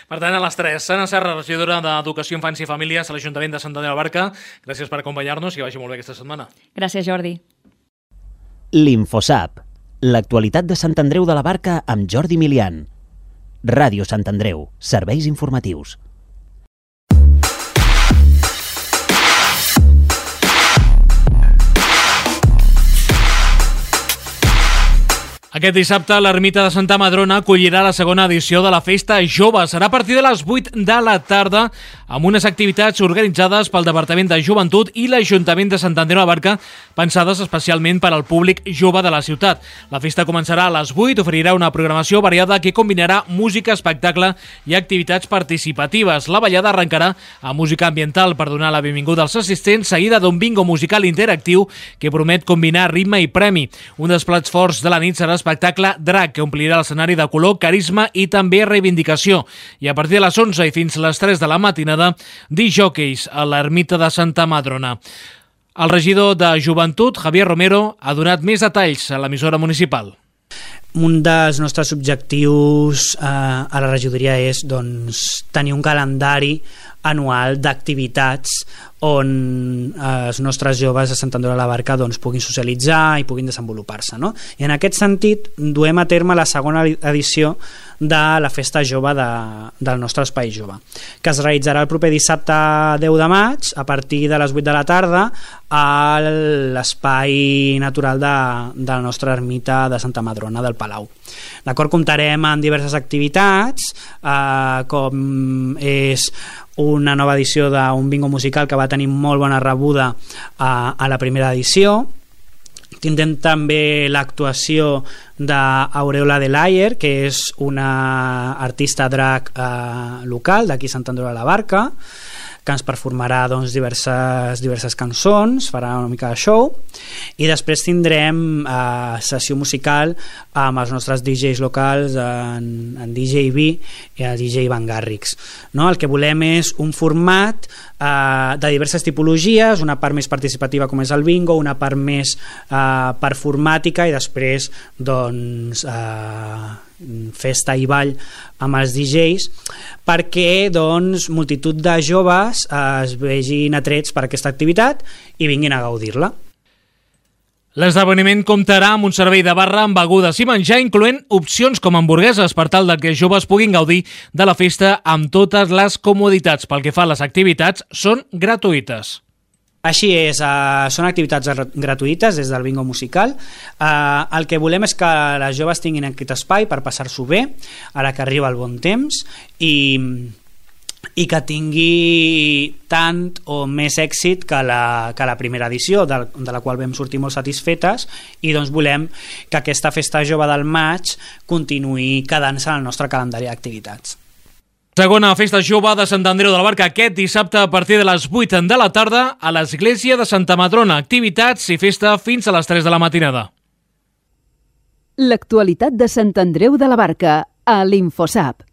Per tant, a les 3, Sana Serra, regidora d'Educació, Infància i Famílies a l'Ajuntament de Sant Andreu de la Barca. Gràcies per acompanyar-nos i que vagi molt bé aquesta setmana. Gràcies, Jordi. L'Infosap, l'actualitat de Sant Andreu de la Barca amb Jordi Milian. Ràdio Sant Andreu, serveis informatius. Aquest dissabte, l'Ermita de Santa Madrona acollirà la segona edició de la Festa Jove. Serà a partir de les 8 de la tarda, amb unes activitats organitzades pel Departament de Joventut i l'Ajuntament de Sant Andreu de la Barca, pensades especialment per al públic jove de la ciutat. La festa començarà a les 8, oferirà una programació variada que combinarà música, espectacle i activitats participatives. La ballada arrencarà amb música ambiental per donar la benvinguda als assistents, seguida d'un bingo musical interactiu que promet combinar ritme i premi. Un dels plats forts de la nit serà l'espectacle Drac, que omplirà l'escenari de color, carisma i també reivindicació. I a partir de les 11 i fins les 3 de la matinada, disjòqueis a l'Ermita de Santa Madrona. El regidor de Joventut, Javier Romero, ha donat més detalls a l'emissora municipal. Un dels nostres objectius a la regidoria és tenir un calendari anual d'activitats on els nostres joves de Sant Andreu de la Barca puguin socialitzar i puguin desenvolupar-se, no? I en aquest sentit duem a terme la segona edició de la Festa Jove del nostre Espai Jove, que es realitzarà el proper dissabte 10 de maig a partir de les 8 de la tarda a l'espai natural de la nostra ermita de Santa Madrona del Palau. D'acord, comptarem amb diverses activitats, com és una nova edició d'un bingo musical que va tenir molt bona rebuda a la primera edició. Tindrem també l'actuació d'Aureola de Layer, que és una artista drac local d'aquí Sant Andreu de la Barca, que ens performarà diverses cançons, farà una mica de show, i després tindrem sessió musical amb els nostres DJs locals, en DJ V i el DJ Van Garrix. No? El que volem és un format de diverses tipologies, una part més participativa com és el bingo, una part més performàtica i després festa i ball amb els DJs, perquè multitud de joves es vegin atrets per aquesta activitat i vinguin a gaudir-la. L'esdeveniment comptarà amb un servei de barra amb begudes i menjar, incloent opcions com hamburgueses, per tal que els joves puguin gaudir de la festa amb totes les comoditats. Pel que fa a les activitats, són gratuïtes. Així és, són activitats gratuïtes des del bingo musical. El que volem és que les joves tinguin aquest espai per passar-s'ho bé, ara que arriba el bon temps, i que tingui tant o més èxit que la primera edició, de la qual vam sortir molt satisfetes, i doncs volem que aquesta festa jove del maig continuï quedant-se en el nostre calendari d'activitats. Segona festa jove de Sant Andreu de la Barca aquest dissabte a partir de les 8 de la tarda a l'església de Santa Madrona. Activitats i festa fins a les 3 de la matinada. L'actualitat de Sant Andreu de la Barca a l'Infosap.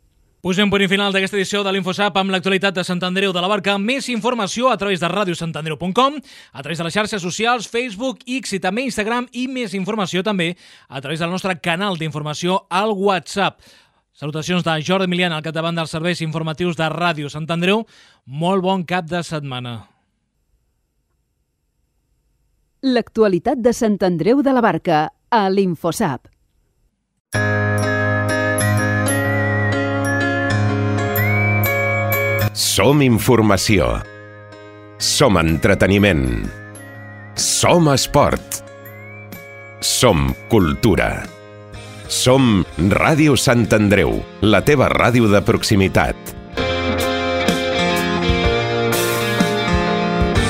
Posem punt final d'aquesta edició de l'Infosap amb l'actualitat de Sant Andreu de la Barca. Més informació a través de radiosantandreu.com, a través de les xarxes socials, Facebook, X i també Instagram, i més informació també a través del nostre canal d'informació al WhatsApp. Salutacions de Jordi Milian al capdavant dels serveis informatius de Ràdio Sant Andreu. Molt bon cap de setmana. L'actualitat de Sant Andreu de la Barca a l'Infosap. Som informació. Som entreteniment. Som esport. Som cultura. Som Ràdio Sant Andreu, la teva ràdio de proximitat.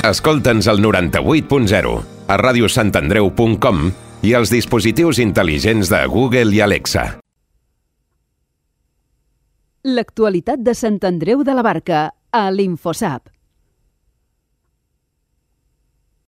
Escolta'ns al 98.0, a radiosantandreu.com i als dispositius intel·ligents de Google i Alexa. L'actualitat de Sant Andreu de la Barca a l'Infosap.